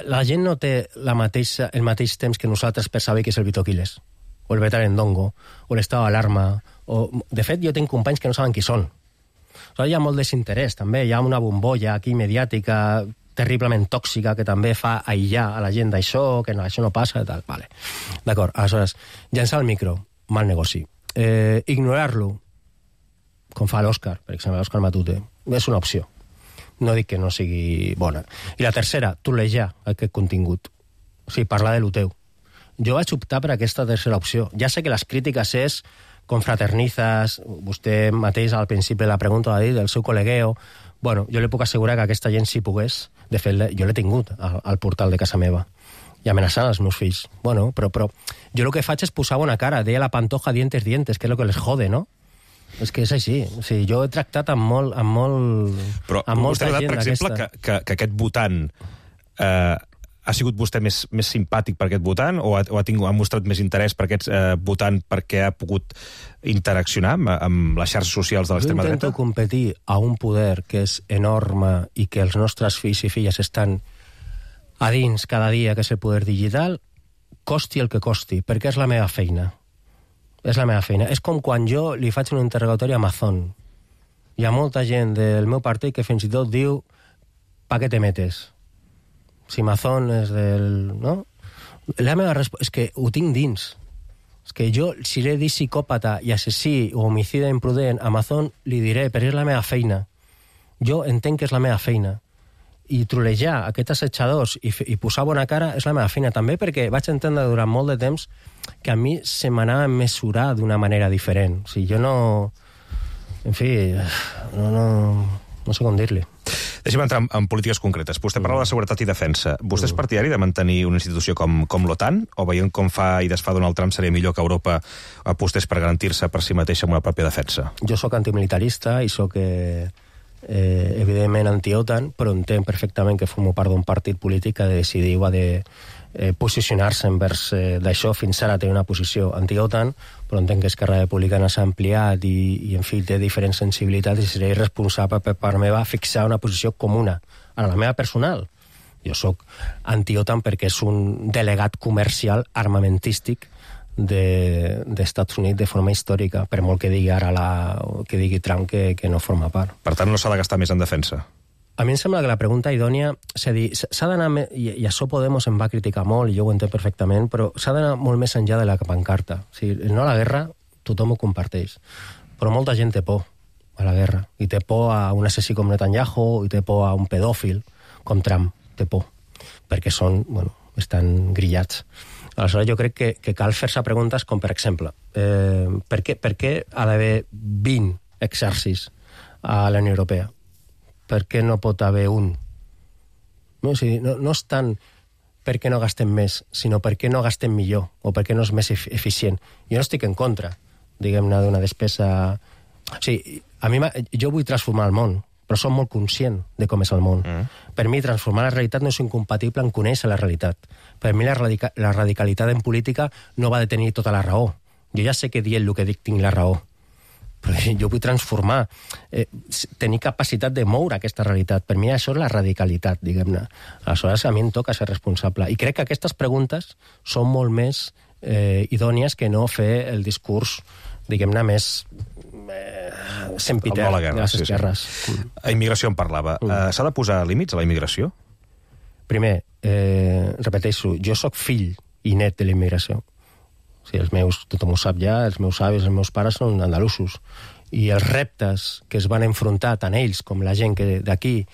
La gent no té el mateix temps que nosaltres per saber què és el Vito Quiles, o el Betarendongo, o l'estat d'alarma. De fet, jo tinc companys que no saben qui són. Hi ha molt desinterès, també. Hi ha una bombolla aquí mediàtica terriblement tòxica que també fa aïllar a la gent d'això, que això no passa, i tal. Vale. D'acord, aleshores, llançar el micro, mal negoci. Ignorar-lo, com fa l'Òscar, per exemple, l'Òscar Matute, és una opció. No dic que no sigui bona. I la tercera, trolejar aquest contingut. O sigui, parlar de lo teu. Jo vaig optar per aquesta tercera opció. Ja sé que les crítiques és confraternizas, vostè mateix al principi de la pregunta va dir del seu col·legueo. Bueno, jo li puc assegurar que aquesta gent si pogués, de fet, jo l'he tingut al portal de casa meva i amenaçant els meus fills. Bueno, però jo el que faig és posar bona cara. Deia la Pantoja dientes, que és el que les jode, no? És que és així. O sigui, jo he tractat amb molta gent per exemple, que aquest votant ha sigut vostè més simpàtic per aquest votant o ha mostrat més interès per aquest votant perquè ha pogut interaccionar amb les xarxes socials de l'extrema dreta? Jo intento competir a un poder que és enorme i que els nostres fills i filles estan a dins cada dia, que és el poder digital, costi el que costi, perquè és la meva feina. És la meva feina. És com quan jo li faig un interrogatori a Amazon. Hi ha molta gent del meu partit que fins i tot diu ¿pa què te metes? Si Amazon és del... No? La meva resposta... És que ho tinc dins. És que jo, si l'he dit psicòpata i assassí o homicida imprudent a Amazon, li diré, però és la meva feina. Jo entenc que és la meva feina. I trolejar aquests assetjadors i posar bona cara és la meva feina també, perquè vaig entendre durant molt de temps que a mi se m'anava a mesurar d'una manera diferent. O sigui, jo no... En fi, no sé com dir-li. Deixem entrar en polítiques concretes. Vostè parla de seguretat i defensa. Vostè és partidari de mantenir una institució com l'OTAN? O veient com fa i desfà Donald Trump seria millor que Europa apostés per garantir-se per si mateixa amb una pròpia defensa? Jo sóc antimilitarista i sóc... evidentment anti-OTAN, però entenc perfectament que formo part d'un partit polític que ha de decidir o ha de posicionar-se envers d'això. Fins ara té una posició anti-OTAN, però entenc que Esquerra Republicana s'ha ampliat i en fi, té diferents sensibilitats i seria irresponsable per part meva fixar una posició comuna. Ara, la meva personal, jo sóc anti-OTAN perquè és un delegat comercial armamentístic d'Estats Units de forma històrica, per molt que digui ara que digui Trump que no forma part. Per tant, no s'ha de gastar més en defensa? A mi em sembla que la pregunta idònia s'ha d'anar, i això Podemos em va criticar molt, i jo ho entenc perfectament, però s'ha d'anar molt més enllà de la pancarta. O sigui, no a la guerra, tothom ho comparteix, però molta gent té por a la guerra, i té por a un assassí com Netanyahu, i té por a un pedòfil com Trump, té por, perquè estan grillats. Aleshores, jo crec que cal fer-se preguntes com, per exemple, per què ha d'haver 20 exèrcits a la Unió Europea? Per què no pot haver un? No és tant per què no gastem més, sinó per què no gastem millor, o per què no és més eficient. Jo no estic en contra, diguem-ne, d'una despesa... O sigui, jo vull transformar el món, però som molt conscient de com és el món. Per mi, transformar la realitat no és incompatible amb conèixer la realitat. Per mi, la radicalitat en política no va de tenir tota la raó. Jo ja sé que dient el que dic tinc la raó, però jo vull transformar, tenir capacitat de moure aquesta realitat. Per mi això és la radicalitat, diguem-ne. Aleshores, a mi em toca ser responsable. I crec que aquestes preguntes són molt més idònies que no fer el discurs, diguem-ne, més sempiter de les esquerres. A immigració en parlava. S'ha de posar límits a la immigració? Primer, repeteixo, jo sóc fill i net de la immigració. O sigui, tothom ho sap ja, els meus avis, els meus pares són andalusos. I els reptes que es van enfrontar tant ells com la gent d'aquí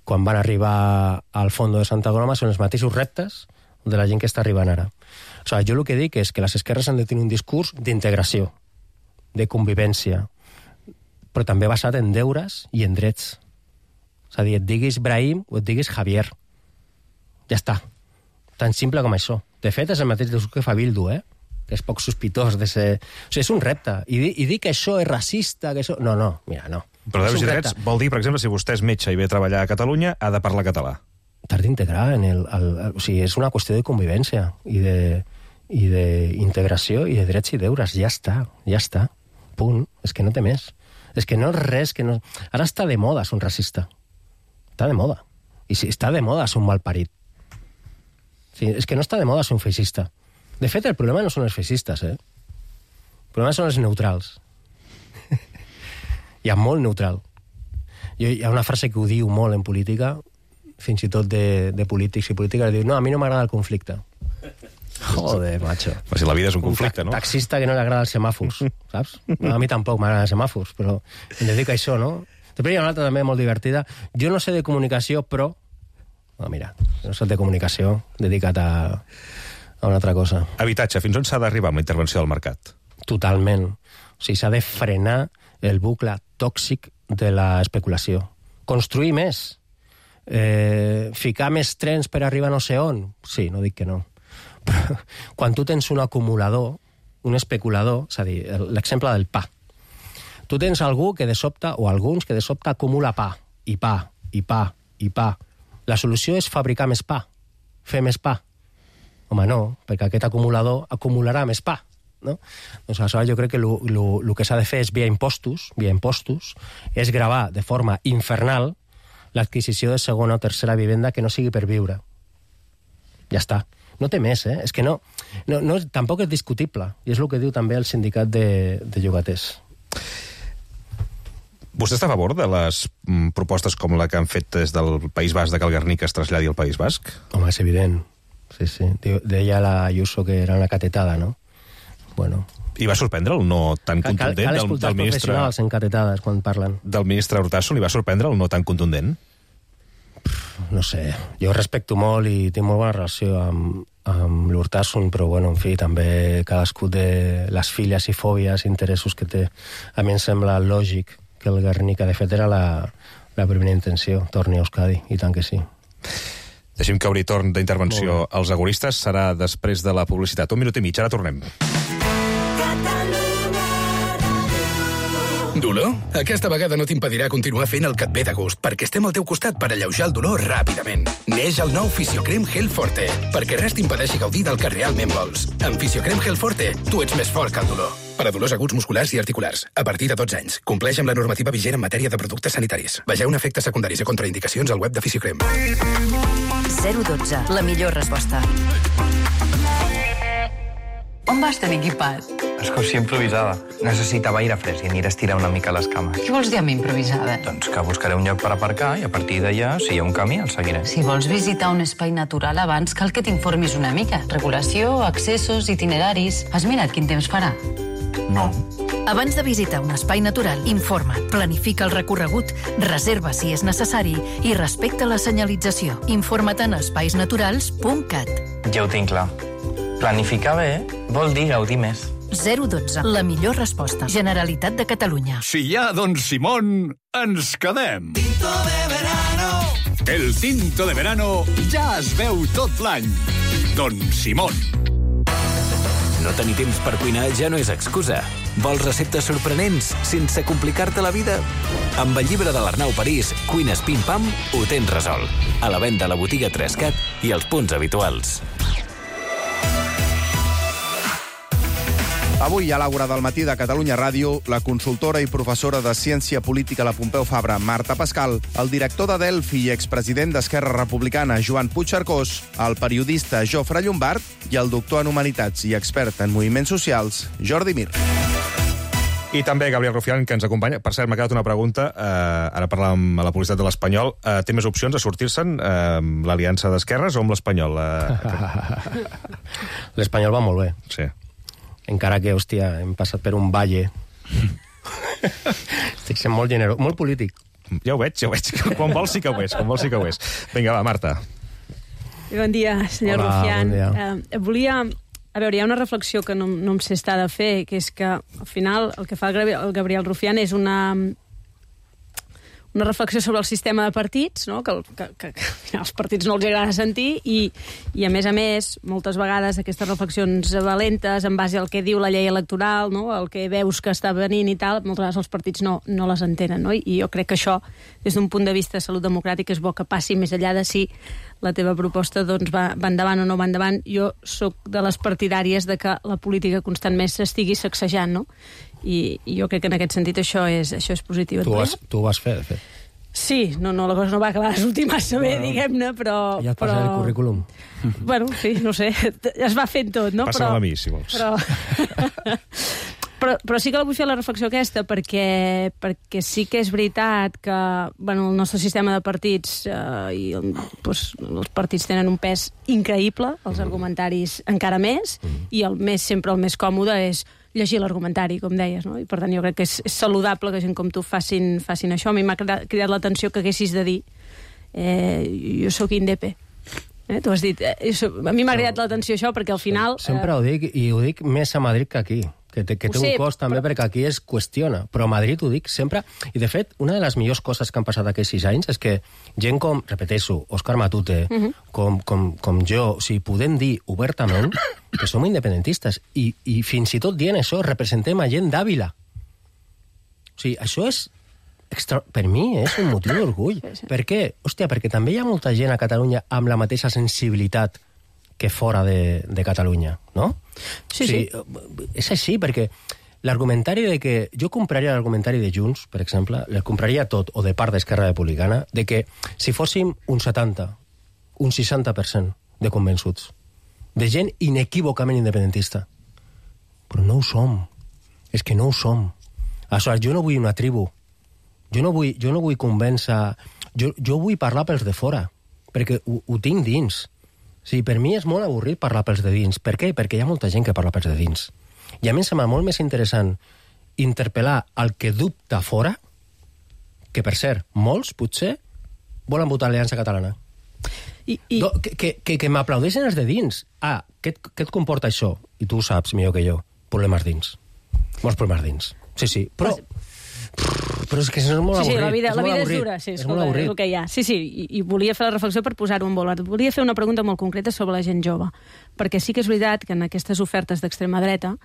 quan van arribar al Fondo de Santa Coloma són els mateixos reptes de la gent que està arribant ara. O sigui, jo el que dic és que les esquerres han de tenir un discurs d'integració, de convivència, però també basat en deures i en drets. És a dir, et diguis Brahim o et diguis Javier. Ja està. Tan simple com això. De fet, és el mateix discurs que fa Bildu, que és poc sospitós de ser... O sigui, és un repte. I dir que això és racista, que això... No, mira, no. Però deures i drets vol dir, per exemple, si vostè és metge i ve a treballar a Catalunya, ha de parlar català. T'has d'integrar en o sigui, és una qüestió de convivència i d'integració i de drets i deures. Ja està. Punt. És que no té més. És que no és res que no... Ara està de moda ser un racista. Està de moda. I si està de moda ser un malparit. Sí, és que no està de moda ser un feixista. De fet, el problema no són els feixistes, El problema són els neutrals. Hi ha molt neutral. Hi ha una frase que ho diu molt en política, fins i tot de polítics i polítiques, diu, no, a mi no m'agrada el conflicte. Joder, macho. Però si la vida és un conflicte, no? Un taxista que no li agrada els semàfors, saps? No, a mi tampoc m'agraden els semàfors, però em dedico a això, no? Després hi ha una altra també molt divertida. Jo no sé de comunicació, però... No, mira, no sé de comunicació, dedicat a una altra cosa. Habitatge, fins on s'ha d'arribar amb la intervenció del mercat? Totalment. O sigui, s'ha de frenar el bucle tòxic de l'especulació. Construir més. Ficar més trens per arribar a no sé on. Sí, no dic que no. Però quan tu tens un acumulador, un especulador, és a dir, l'exemple del pa. Tu tens algú que de sobte, o alguns que de sobte acumula pa, i pa, i pa, i pa. La solució és fabricar més pa, fer més pa. Home, no, perquè aquest acumulador acumularà més pa, no? Doncs aleshores jo crec que el que s'ha de fer és via impostos, és gravar de forma infernal l'adquisició de segona o tercera vivenda que no sigui per viure. Ja està. No té més, És que no, tampoc és discutible. I és el que diu també el sindicat de llogaters. Vostè està a favor de les propostes com la que han fet des del País Basc de que el Guernica es traslladi al País Basc? Home, és evident. Sí. Deia la Ayuso que era una catetada, no? Bueno. I va sorprendre el no tan contundent del ministre... Cal escoltar els professionals en catetades quan parlen. Del ministre Hurtasun li va sorprendre el no tan contundent? No sé. Jo respecto molt i tinc molt bona relació amb l'Hurtasun, però, bueno, en fi, també cadascú de les filies i fòbies, interessos que té. A mi em sembla lògic que el Guernica, de fet, era la primera intenció. Torni a Euskadi, i tant que sí. Deixem que obri torn d'intervenció als agoristes. Serà després de la publicitat. 1 minut i mig, ara tornem. Dolor? Aquesta vegada no t'impedirà continuar fent el que et ve de gust, perquè estem al teu costat per alleujar el dolor ràpidament. Neix el nou Fisiocrem Gel Forte, perquè res t'impedeixi gaudir del que realment vols. Amb Fisiocrem Gel Forte, tu ets més fort que el dolor. Per a dolors aguts musculars i articulars, a partir de 12 anys. Compleix amb la normativa vigent en matèria de productes sanitaris. Vegeu efectes secundaris i contraindicacions al web de Fisiocrem. 012, la millor resposta. On vas tan equipat? Excursió improvisada. Necessitava aire fresc i aniré a estirar una mica les cames. Què vols dir amb improvisada? Doncs que buscaré un lloc per aparcar i a partir d'allà, si hi ha un camí, el seguiré. Si vols visitar un espai natural abans, cal que t'informis una mica. Regulació, accessos, itineraris... Has mirat quin temps farà? No. Abans de visitar un espai natural, informa't, planifica el recorregut, reserva si és necessari i respecta la senyalització. Informa't en espaisnaturals.cat. Ja ho tinc clar. Planificar bé vol dir gaudir més. 012, la millor resposta. Generalitat de Catalunya. Si hi ha Don Simón, ens quedem. Tinto de verano. El tinto de verano ja es veu tot l'any. Don Simón. No tenir temps per cuinar ja no és excusa. Vols receptes sorprenents sense complicar-te la vida? Amb el llibre de l'Arnau París, Cuines Pim Pam, ho tens resolt. A la venda a la botiga Trescat i als punts habituals. Avui, a l'Àgora del matí de Catalunya Ràdio, la consultora i professora de Ciència Política a la Pompeu Fabra, Marta Pascal, el director de Delphi i expresident d'Esquerra Republicana, Joan Puigcercós, el periodista Jofre Llombard i el doctor en Humanitats i expert en moviments socials, Jordi Mir. I també Gabriel Rufián, que ens acompanya. Per cert, m'ha quedat una pregunta. Ara parlàvem a la publicitat de l'Espanyol. Té més opcions a sortir-se'n l'Aliança d'Esquerres o amb l'Espanyol? L'Espanyol va molt bé. Sí. Encara que, hòstia, hem passat per un valle. Estic sent molt generós, molt polític. Ja ho veig. Quan vols sí que ho és. Vinga, va, Marta. Bon dia, senyor Rufián. Bon dia. Volia... A veure, hi ha una reflexió que no em sé estar de fer, que és que, al final, el que fa el Gabriel Rufián és una reflexió sobre el sistema de partits, no? que als partits no els agrada sentir, i a més, moltes vegades aquestes reflexions valentes en base al que diu la llei electoral, no? El que veus que està venint i tal, moltes vegades els partits no les entenen, no? I jo crec que això, des d'un punt de vista de salut democràtica, és bo que passi més enllà de si la teva proposta doncs, va endavant o no va endavant. Jo sóc de les partidàries de que la política constantment s'estigui sacsejant, no? I jo crec que en aquest sentit això és positiu. Tu ho vas fer, de fet. Sí, la cosa no va acabar de sortir massa bé, diguem-ne, però... Ja et passaré el currículum. Bueno, sí, no sé, es va fent tot, no? Passa-me'l a mi, si vols. Però sí que la vull fer la reflexió aquesta, perquè sí que és veritat que el nostre sistema de partits i els partits tenen un pes increïble, els argumentaris encara més, i sempre el més còmode és llegir l'argumentari, com deies, no? I per tant jo crec que és saludable que gent com tu facin això. A mi m'ha cridat l'atenció que haguessis de dir jo sóc indepe. Tu has dit, a mi m'ha cridat l'atenció això perquè al final... Sempre ho dic, i ho dic més a Madrid que aquí, que té un cost també perquè aquí es qüestiona, però a Madrid ho dic sempre, i de fet una de les millors coses que han passat aquests 6 anys és que gent com, repeteixo, Òscar Matute, com jo, o sigui, podem dir obertament que som independentistes, i fins i tot dient això representem a gent d'Àvila. O sigui, això és per mi és un motiu d'orgull. Per què? Hòstia, perquè també hi ha molta gent a Catalunya amb la mateixa sensibilitat que fora de Catalunya, no? Sí. És així, perquè l'argumentari de que... Jo compraria l'argumentari de Junts, per exemple, el compraria tot, o de part d'Esquerra Republicana, de que si fóssim un 70, un 60% de convençuts, de gent inequívocament independentista. Però no ho som. És que no ho som. Aleshores, jo no vull una tribu. Jo no vull convèncer... Jo vull parlar pels de fora, perquè ho tinc dins. Sí, per mi és molt avorrit parlar pels de dins. Per què? Perquè hi ha molta gent que parla pels de dins. I a mi em sembla molt més interessant interpel·lar el que dubta fora, que per cert, molts, potser, volen votar Aliança Catalana. Que m'aplaudeixen els de dins. Què et comporta això? I tu ho saps millor que jo. Problemes dins. Molts problemes dins. Sí, però és que és molt avorrit. Sí, la vida és dura, és molt avorrit. És el que hi ha. Sí, i volia fer la reflexió per posar-ho en valor. Volia fer una pregunta molt concreta sobre la gent jove, perquè sí que és veritat que en aquestes ofertes d'extrema dreta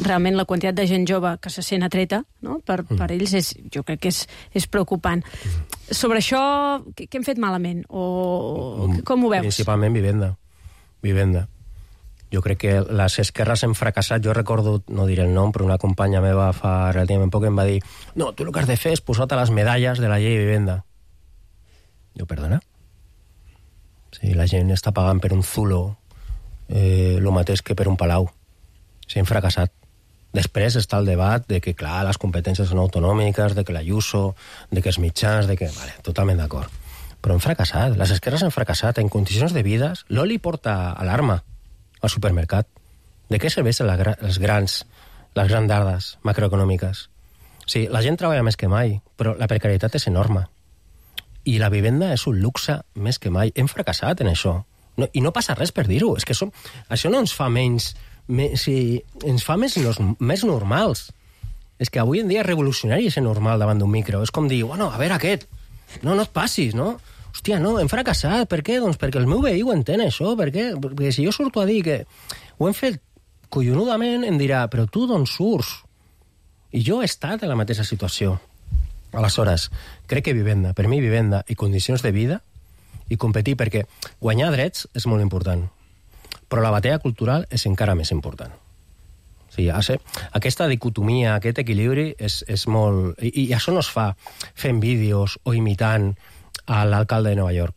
realment la quantitat de gent jove que se sent atreta, no? Per ells jo crec que és preocupant. Sobre això, què hem fet malament? O com ho veus? Principalment vivenda. Jo crec que les esquerres han fracassat. Jo recordo, no diré el nom, però una companya meva fa relativament poc em va dir no, tu el que has de fer és posar-te les medalles de la llei de vivenda. Jo, perdona? Sí, la gent està pagant per un zulo el mateix que per un palau. S'han fracassat. Després està el debat de que, clar, les competències són autonòmiques, de que l'Ayuso, de que els mitjans, de que... Vale, totalment d'acord. Però han fracassat. Les esquerres han fracassat. En condicions de vides, l'oli porta alarma al supermercat. De què serveixen les grans dades macroeconòmiques? Sí, la gent treballa més que mai, però la precarietat és enorme. I la vivenda és un luxe més que mai. Hem fracassat en això. I no passa res per dir-ho. És que això no ens fa menys... ens fa més normals. És que avui en dia és revolucionari ser normal davant d'un micro. És com dir, bueno, a veure aquest, no et passis, no? Hòstia, no, hem fracassat. Per què? Doncs perquè el meu veí ho entén, això. Per què? Perquè si jo surto a dir que ho hem fet collonudament em dirà, però tu d'on surts? I jo he estat en la mateixa situació. Aleshores, crec que vivenda, per mi vivenda i condicions de vida i competir, perquè guanyar drets és molt important, però la batalla cultural és encara més important. O sigui, aquesta dicotomia, aquest equilibri és molt... I això no es fa fent vídeos o imitant a l'alcalde de Nova York.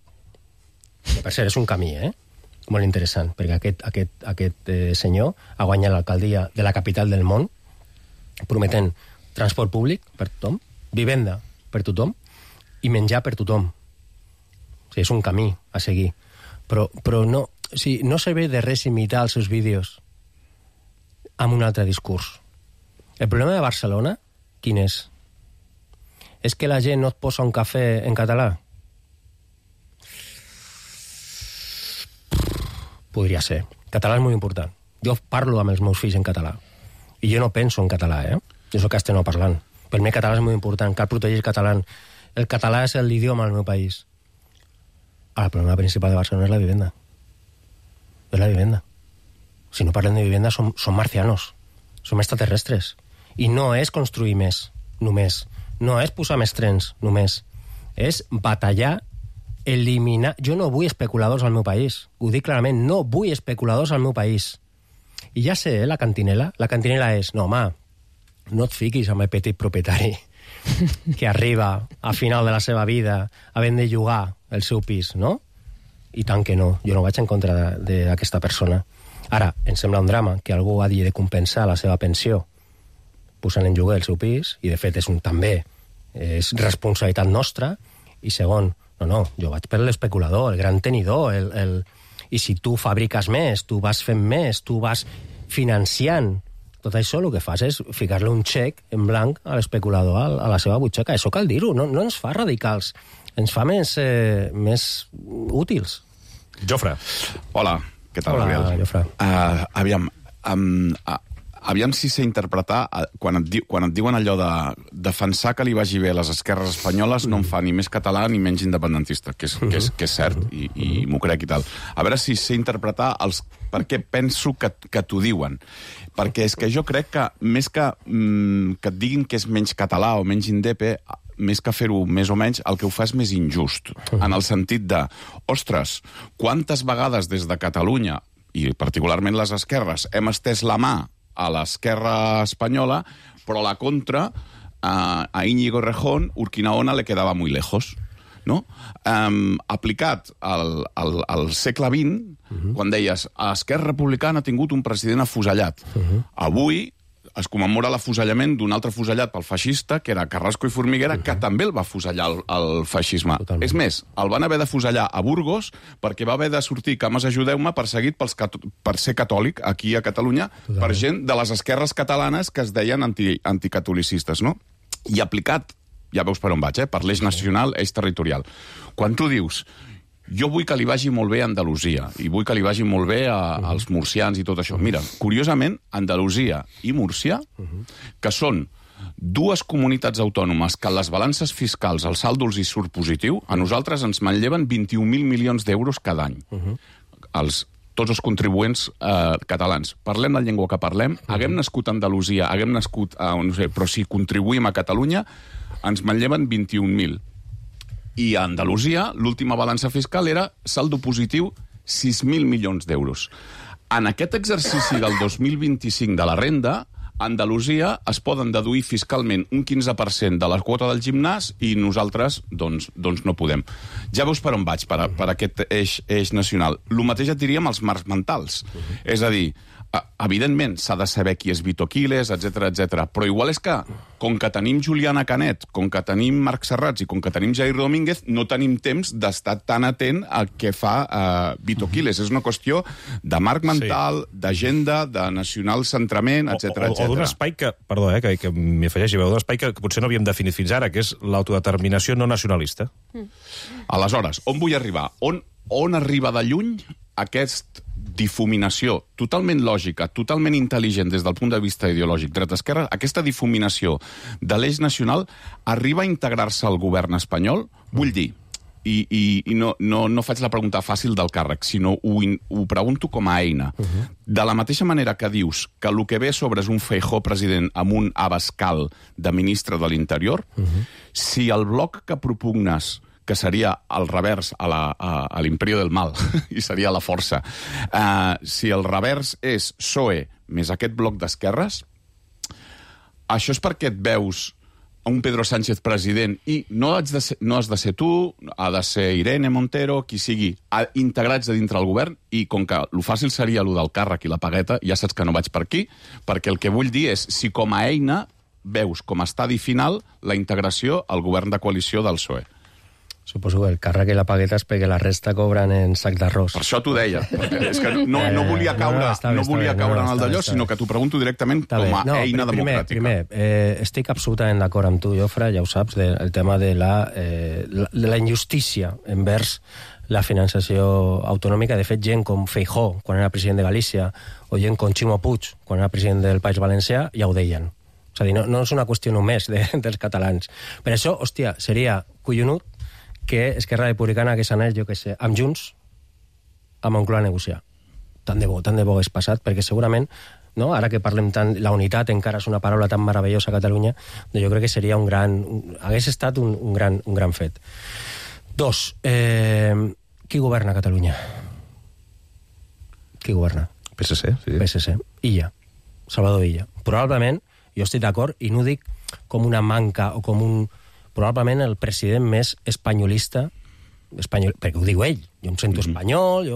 Que, per cert, és un camí, molt interessant, perquè aquest senyor ha guanyat l'alcaldia de la capital del món prometent transport públic per tothom, vivenda per tothom i menjar per tothom. O sigui, és un camí a seguir. Però no, o sigui, no serveix de res imitar els seus vídeos amb un altre discurs. El problema de Barcelona, quin és? És que la gent no et posa un cafè en català? Podria ser. Català és molt important. Jo parlo amb els meus fills en català. I jo no penso en català, Jo soc castellanoparlant. Per mi el català és molt important. Cal protegir el català. El català és l'idioma del meu país. Ara, el problema principal de Barcelona és la vivenda. És la vivenda. Si no parlem de vivenda, som marcianos. Som extraterrestres. I no és construir més, només. No és posar més trens, només. És batallar, eliminar... Jo no vull especuladors al meu país. Ho dic clarament, no vull especuladors al meu país. I ja sé, la cantinela. La cantinela és, no, home, no et fiquis amb el petit propietari que arriba a final de la seva vida havent de llogar el seu pis, no? I tant que no. Jo no vaig en contra d'aquesta persona. Ara, em sembla un drama que algú hagi de compensar la seva pensió posant en lloguer el seu pis, i de fet també és responsabilitat nostra. I segon, no, jo vaig per l'especulador, el gran tenidor, i si tu fabriques més, tu vas fent més, tu vas financiant tot això, el que fas és ficar-li un xec en blanc a l'especulador a la seva butxaca. Això cal dir-ho, no ens fa radicals, ens fa més útils. Jofre. Hola, què tal, Gabriel? Hola, Jofre. Aviam si sé interpretar, quan et diuen allò de defensar que li vagi bé a les esquerres espanyoles no em fa ni més català ni menys independentista, que és cert, i m'ho crec i tal. A veure si sé interpretar per què penso que t'ho diuen. Perquè és que jo crec que més que et diguin que és menys català o menys indepe, més que fer-ho més o menys, el que ho fa és més injust. En el sentit de, ostres, quantes vegades des de Catalunya, i particularment les esquerres, hem estès la mà a l'esquerra espanyola, però a la contra, a Íñigo Errejón, Urquinaona le quedava muy lejos. No? Aplicat al segle XX, quan deies Esquerra Republicana ha tingut un president afusellat. Avui es commemora l'afusellament d'un altre afusellat pel feixista, que era Carrasco i Formiguera, que també el va afusellar el feixisme. Totalment. És més, el van haver d'afusellar a Burgos perquè va haver de sortir, cames ajudeu-me, perseguit per ser catòlic aquí a Catalunya. Totalment. Per gent de les esquerres catalanes que es deien anticatolicistes, no? I aplicat, ja veus per on vaig, per l'eix nacional, eix territorial. Quan tu dius, jo vull que li vagi molt bé a Andalusia, i vull que li vagi molt bé als murcians i tot això. Mira, curiosament, Andalusia i Múrcia, que són dues comunitats autònomes que les balances fiscals, el saldo els hi surt positiu, a nosaltres ens manlleven 21.000 milions d'euros cada any. Tots els contribuents catalans. Parlem la llengua que parlem, haguem nascut a Andalusia, haguem nascut a... no sé, però si contribuïm a Catalunya, ens manlleven 21.000. I a Andalusia, l'última balança fiscal era saldo positiu 6.000 milions d'euros. En aquest exercici del 2025 de la renda, a Andalusia es poden deduir fiscalment un 15% de la quota del gimnàs i nosaltres, doncs no podem. Ja veus per on vaig, per aquest eix nacional. El mateix et diríem els marcs mentals. És a dir, evidentment s'ha de saber qui és Vito Quiles, etc. Però igual és que, com que tenim Juliana Canet, com que tenim Marc Serrats i com que tenim Jair Domínguez, no tenim temps d'estar tan atent al que fa Vito Quiles. És una qüestió de marc mental, d'agenda, de nacional centrament, etc. O d'un espai que, perdó, que m'hi afegeixi, d'un espai que potser no havíem definit fins ara, que és l'autodeterminació no nacionalista. Aleshores, on vull arribar? On arriba de lluny aquest difuminació totalment lògica, totalment intel·ligent des del punt de vista ideològic dret-esquerra, aquesta difuminació de l'eix nacional arriba a integrar-se al govern espanyol? Vull dir, i no faig la pregunta fàcil del càrrec, sinó ho pregunto com a eina. De la mateixa manera que dius que el que ve sobre és un Feijóo president amb un abascal de ministre de l'Interior, si el bloc que propugnes, que seria el revers a l'imperio del mal, i seria la força, si el revers és PSOE més aquest bloc d'esquerres, això és perquè et veus un Pedro Sánchez president i no has de ser tu, ha de ser Irene Montero, qui sigui, integrats a dintre el govern, i com que el fàcil seria el del càrrec i la pagueta, ja saps que no vaig per aquí, perquè el que vull dir és si com a eina veus com a estadi final la integració al govern de coalició del PSOE. Suposo que el càrrec i la pagueta és perquè la resta cobren en sac d'arròs. Per això t'ho deia, perquè és que no volia caure en el d'allò, sinó que t'ho pregunto directament com a eina democràtica. Primer, estic absolutament d'acord amb tu, Jofre, ja ho saps, del tema de la injustícia envers la financiació autonòmica. De fet, gent com Feijóo, quan era president de Galícia, o gent com Ximo Puig, quan era president del País Valencià, ja ho deien. És a dir, no és una qüestió només dels catalans. Per això, hòstia, seria collonut que Esquerra Republicana hagués anat, jo què sé, amb Junts, a Moncloa a negociar. Tant de bo hagués passat, perquè segurament, no, ara que parlem tant, la unitat encara és una paraula tan meravellosa a Catalunya, jo crec que seria hagués estat un gran fet. 2. Qui governa Catalunya? Qui governa? PSC, sí. PSC. Illa. Salvador Illa. Probablement, jo estic d'acord, i no ho dic com una manca o com probablement el president més espanyolista, perquè ho diu ell, jo em sento espanyol,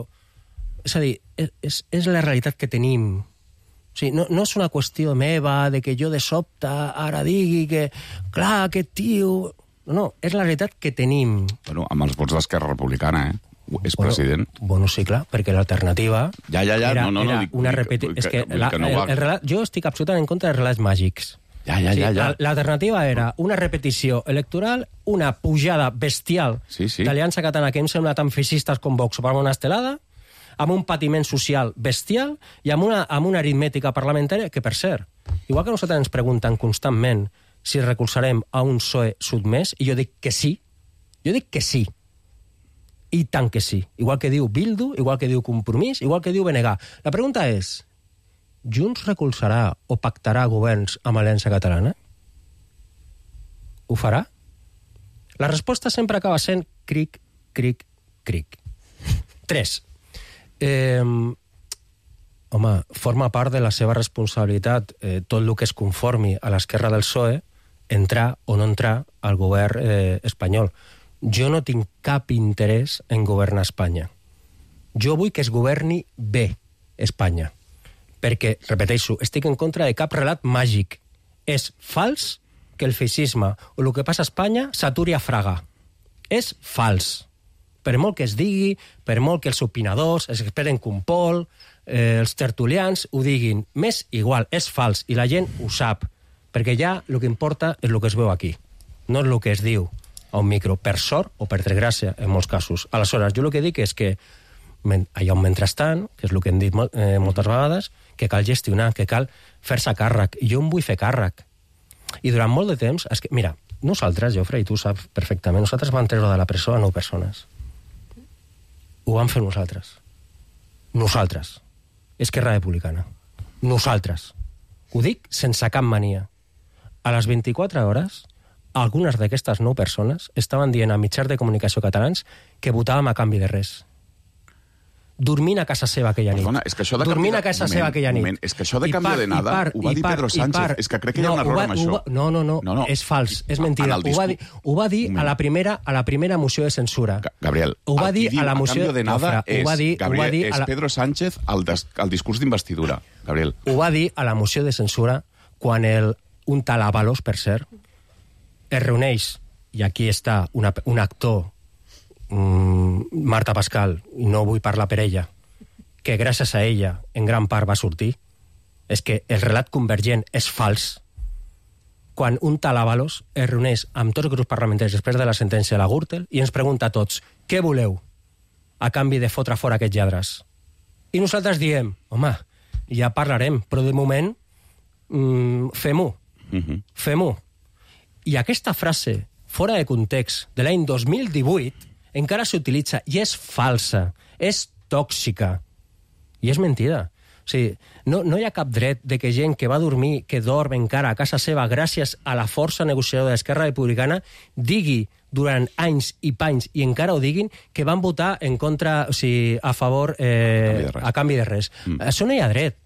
és a dir, és la realitat que tenim. O sigui, no és una qüestió meva de que jo de sobte ara digui que, clar, aquest tio... No, és la realitat que tenim. Bueno, amb els vots d'Esquerra Republicana, és president. Bueno, sí, clar, perquè l'alternativa era una repetició. És que jo estic absolutament en contra dels relats màgics. L'alternativa era una repetició electoral, una pujada bestial d'Aliança Catalana, que em sembla tan feixistes com Vox, per una estelada, amb un patiment social bestial i amb una aritmètica parlamentària que, per cert, igual que nosaltres ens pregunten constantment si recolzarem a un PSOE sotmès, i jo dic que sí, i tant que sí. Igual que diu Bildu, igual que diu Compromís, igual que diu BNG. La pregunta és, Junts recolzarà o pactarà governs amb Aliança Catalana? Ho farà? La resposta sempre acaba sent cric, cric, cric. 3. Home, forma part de la seva responsabilitat tot el que es conformi a l'esquerra del PSOE entrar o no entrar al govern espanyol. Jo no tinc cap interès en governar Espanya. Jo vull que es governi bé Espanya. Perquè, repeteixo, estic en contra de cap relat màgic. És fals que el feixisme o el que passa a Espanya s'aturi a Fraga. És fals. Per molt que es digui, per molt que els opinadors, els experts en Compol, els tertulians ho diguin, m'és igual, és fals, i la gent ho sap, perquè ja el que importa és el que es veu aquí, no és el que es diu a un micro, per sort o per desgràcia, en molts casos. Aleshores, jo el que dic és que hi ha un mentrestant, que és el que hem dit moltes vegades, que cal gestionar, que cal fer-se càrrec. I jo em vull fer càrrec. I durant molt de temps... Mira, nosaltres, Jofre, i tu saps perfectament, nosaltres vam treure de la presó a 9 persones. Ho vam fer nosaltres. Nosaltres. Esquerra Republicana. Nosaltres. Ho dic sense cap mania. A les 24 hores, algunes d'aquestes 9 persones estaven dient a mitjans de comunicació catalans que votàvem a canvi de res. Dormint a casa seva aquella nit. Perdona, és que això de dormint a casa seva aquella nit. És que això de canvi de nada ho va dir Pedro Sánchez. És que crec que hi ha un error amb això. No, és fals, és mentida. Ho va dir a la primera moció de censura. Gabriel, ho va dir a la moció de nada és Pedro Sánchez al discurs d'investidura. Gabriel. Ho va dir a la moció de censura quan un tal Ábalos, per cert, es reuneix, i aquí està un actor, Marta Pascal, i no vull parlar per ella, que gràcies a ella en gran part va sortir, és que el relat convergent és fals. Quan un tal Ábalos es reuneix amb tots els grups parlamentaris després de la sentència de la Gürtel i ens pregunta a tots, què voleu a canvi de fotre fora aquests lladres? I nosaltres diem, home, ja parlarem, però de moment fem-ho. Fem-ho. I aquesta frase, fora de context, de l'any 2018, encara s'utilitza i és falsa, és tòxica i és mentida. O sigui, no hi ha cap dret de que gent que va dormir, que dorm encara a casa seva gràcies a la força negociadora d'Esquerra Republicana, digui durant anys i panys, i encara ho diguin, que van votar en contra, o sigui, a favor, a canvi de res. Això no hi ha dret.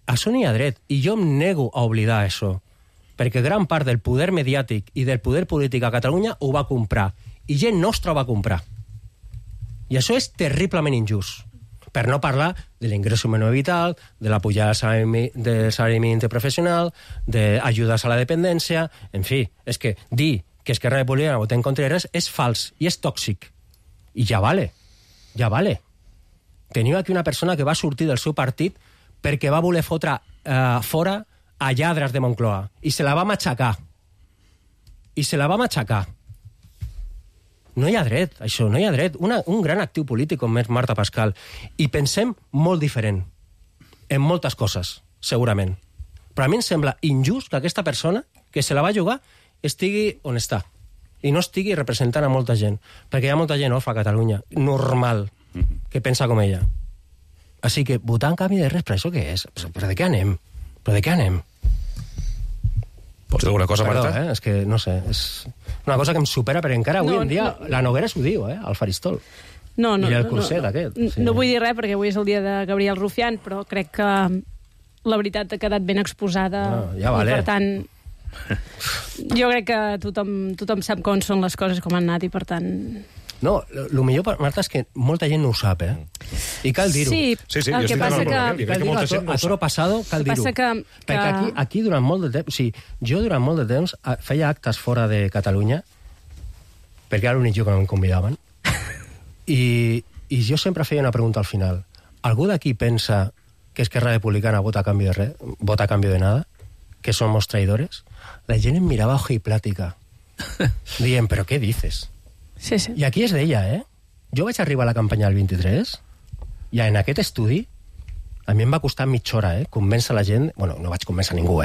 Això no hi ha dret. I jo em nego a oblidar això. Perquè gran part del poder mediàtic i del poder polític a Catalunya ho va comprar. I gent nostra ho va comprar. I això és terriblement injust. Per no parlar de l'ingresso mínim vital, de la pujada del salari mínim interprofessional, d'ajudes a la dependència... En fi, és que dir que Esquerra Republicana vota en contra de res és fals i és tòxic. I ja vale. Teniu aquí una persona que va sortir del seu partit perquè va voler fotre fora a lladres de Moncloa. I se la va matxacar. No hi ha dret, això, no hi ha dret. Un gran actiu polític com és Marta Pascal. I pensem molt diferent. En moltes coses, segurament. Però a mi em sembla injust que aquesta persona, que se la va jugar, estigui on està. I no estigui representant a molta gent. Perquè hi ha molta gent orfa a Catalunya, normal, que pensa com ella. Així que votar en canvi de res, però això què és? Però de què anem? Pots dir alguna cosa, Marta? És que, no sé, és una cosa que em supera, perquè encara avui en dia la Noguera s'ho diu, al faristol. I el curset aquest. No vull dir res, perquè avui és el dia de Gabriel Rufián, però crec que la veritat ha quedat ben exposada. Ja vale. I, per tant, jo crec que tothom sap com són les coses, com han anat, i per tant... No, el millor, Marta, és que molta gent no ho sap, I cal dir-ho. Sí, el que passa que... Cal dir-ho a toro passado, cal dir-ho. Perquè aquí, durant molt de temps... O sigui, jo durant molt de temps feia actes fora de Catalunya, perquè era l'únic lloc que no em convidaven, i jo sempre feia una pregunta al final. Algú d'aquí pensa que Esquerra Republicana vota a cambio de nada? Que somos traidores? La gent em mirava ojiplática, dient, però què dices? Sí. I aquí es deia, Jo vaig arribar a la campanya del 23 i en aquest estudi a mi em va costar mitja hora, convèncer la gent... Bueno, no vaig convèncer ningú, O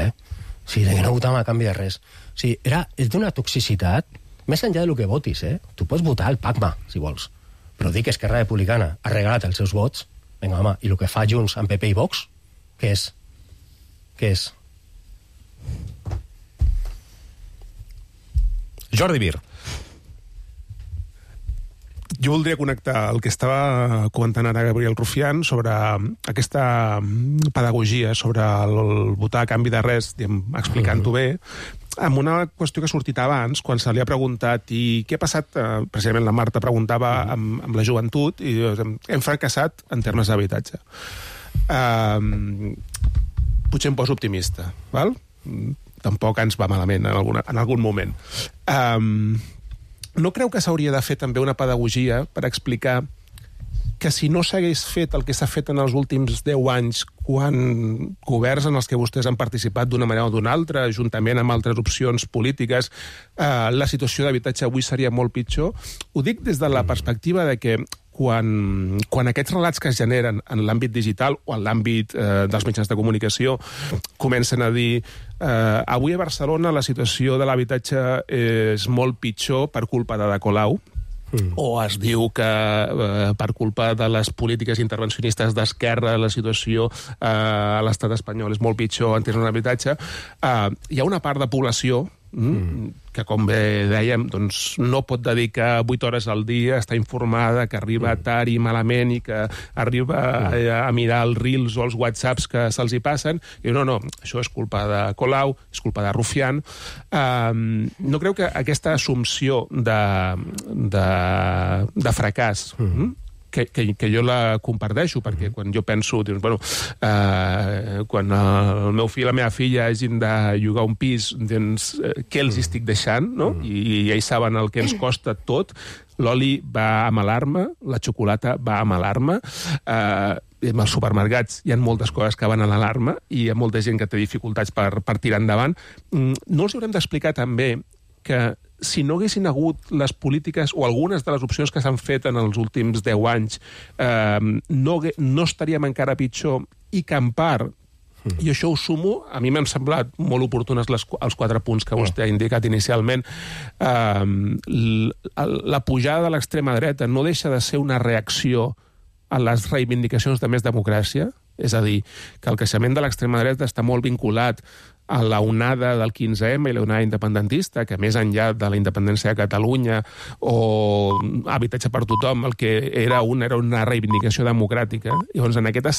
sigui, de que no votàvem a canvi de res. O sigui, és d'una toxicitat, més enllà del que votis, Tu pots votar al PACMA, si vols, però dir que Esquerra Republicana ha regalat els seus vots, vinga, home, i el que fa Junts amb PP i Vox, què és? Jordi Mir. Jo voldria connectar el que estava comentant ara Gabriel Rufián sobre aquesta pedagogia, sobre el votar a canvi de res, explicant-ho bé, amb una qüestió que ha sortit abans, quan se li ha preguntat i què ha passat, precisament la Marta preguntava amb la joventut, i hem fracassat en termes d'habitatge. Potser em poso optimista, val? Tampoc ens va malament en algun moment. No creu que s'hauria de fer també una pedagogia per explicar que si no s'hagués fet el que s'ha fet en els últims 10 anys, quan governs en els que vostès han participat d'una manera o d'una altra, juntament amb altres opcions polítiques, la situació d'habitatge avui seria molt pitjor? Ho dic des de la perspectiva de que quan aquests relats que es generen en l'àmbit digital o en l'àmbit dels mitjans de comunicació comencen a dir avui a Barcelona la situació de l'habitatge és molt pitjor per culpa de Colau, o es diu que per culpa de les polítiques intervencionistes d'esquerra la situació a l'estat espanyol és molt pitjor en termes d'habitatge, hi ha una part de població que, com bé dèiem, doncs, no pot dedicar 8 hores al dia, està informada, que arriba tard i malament i que arriba a mirar els reels o els whatsapps que se'ls hi passen, i diu, no, això és culpa de Colau, és culpa de Rufián. No creu que aquesta assumpció de fracàs que jo la comparteixo, perquè quan jo penso, dius, bueno, quan el meu fill i la meva filla hagin de llogar un pis, doncs, què els estic deixant, no? I ells saben el que ens costa tot. L'oli va amb alarma, la xocolata va amb alarma, en els supermercats hi ha moltes coses que van a l'alarma i hi ha molta gent que té dificultats per tirar endavant. No els haurem d'explicar també que si no haguessin hagut les polítiques o algunes de les opcions que s'han fet en els últims 10 anys, no estaríem encara pitjor, i que en part I això ho sumo, a mi m'han semblat molt oportunes els 4 punts que vostè ha indicat inicialment. La pujada de l'extrema dreta no deixa de ser una reacció a les reivindicacions de més democràcia, és a dir, que el creixement de l'extrema dreta està molt vinculat a la onada del 15M i la onada independentista, que més enllà de la independència de Catalunya o habitatge per tothom, el que era una reivindicació democràtica. Llavors, en aquest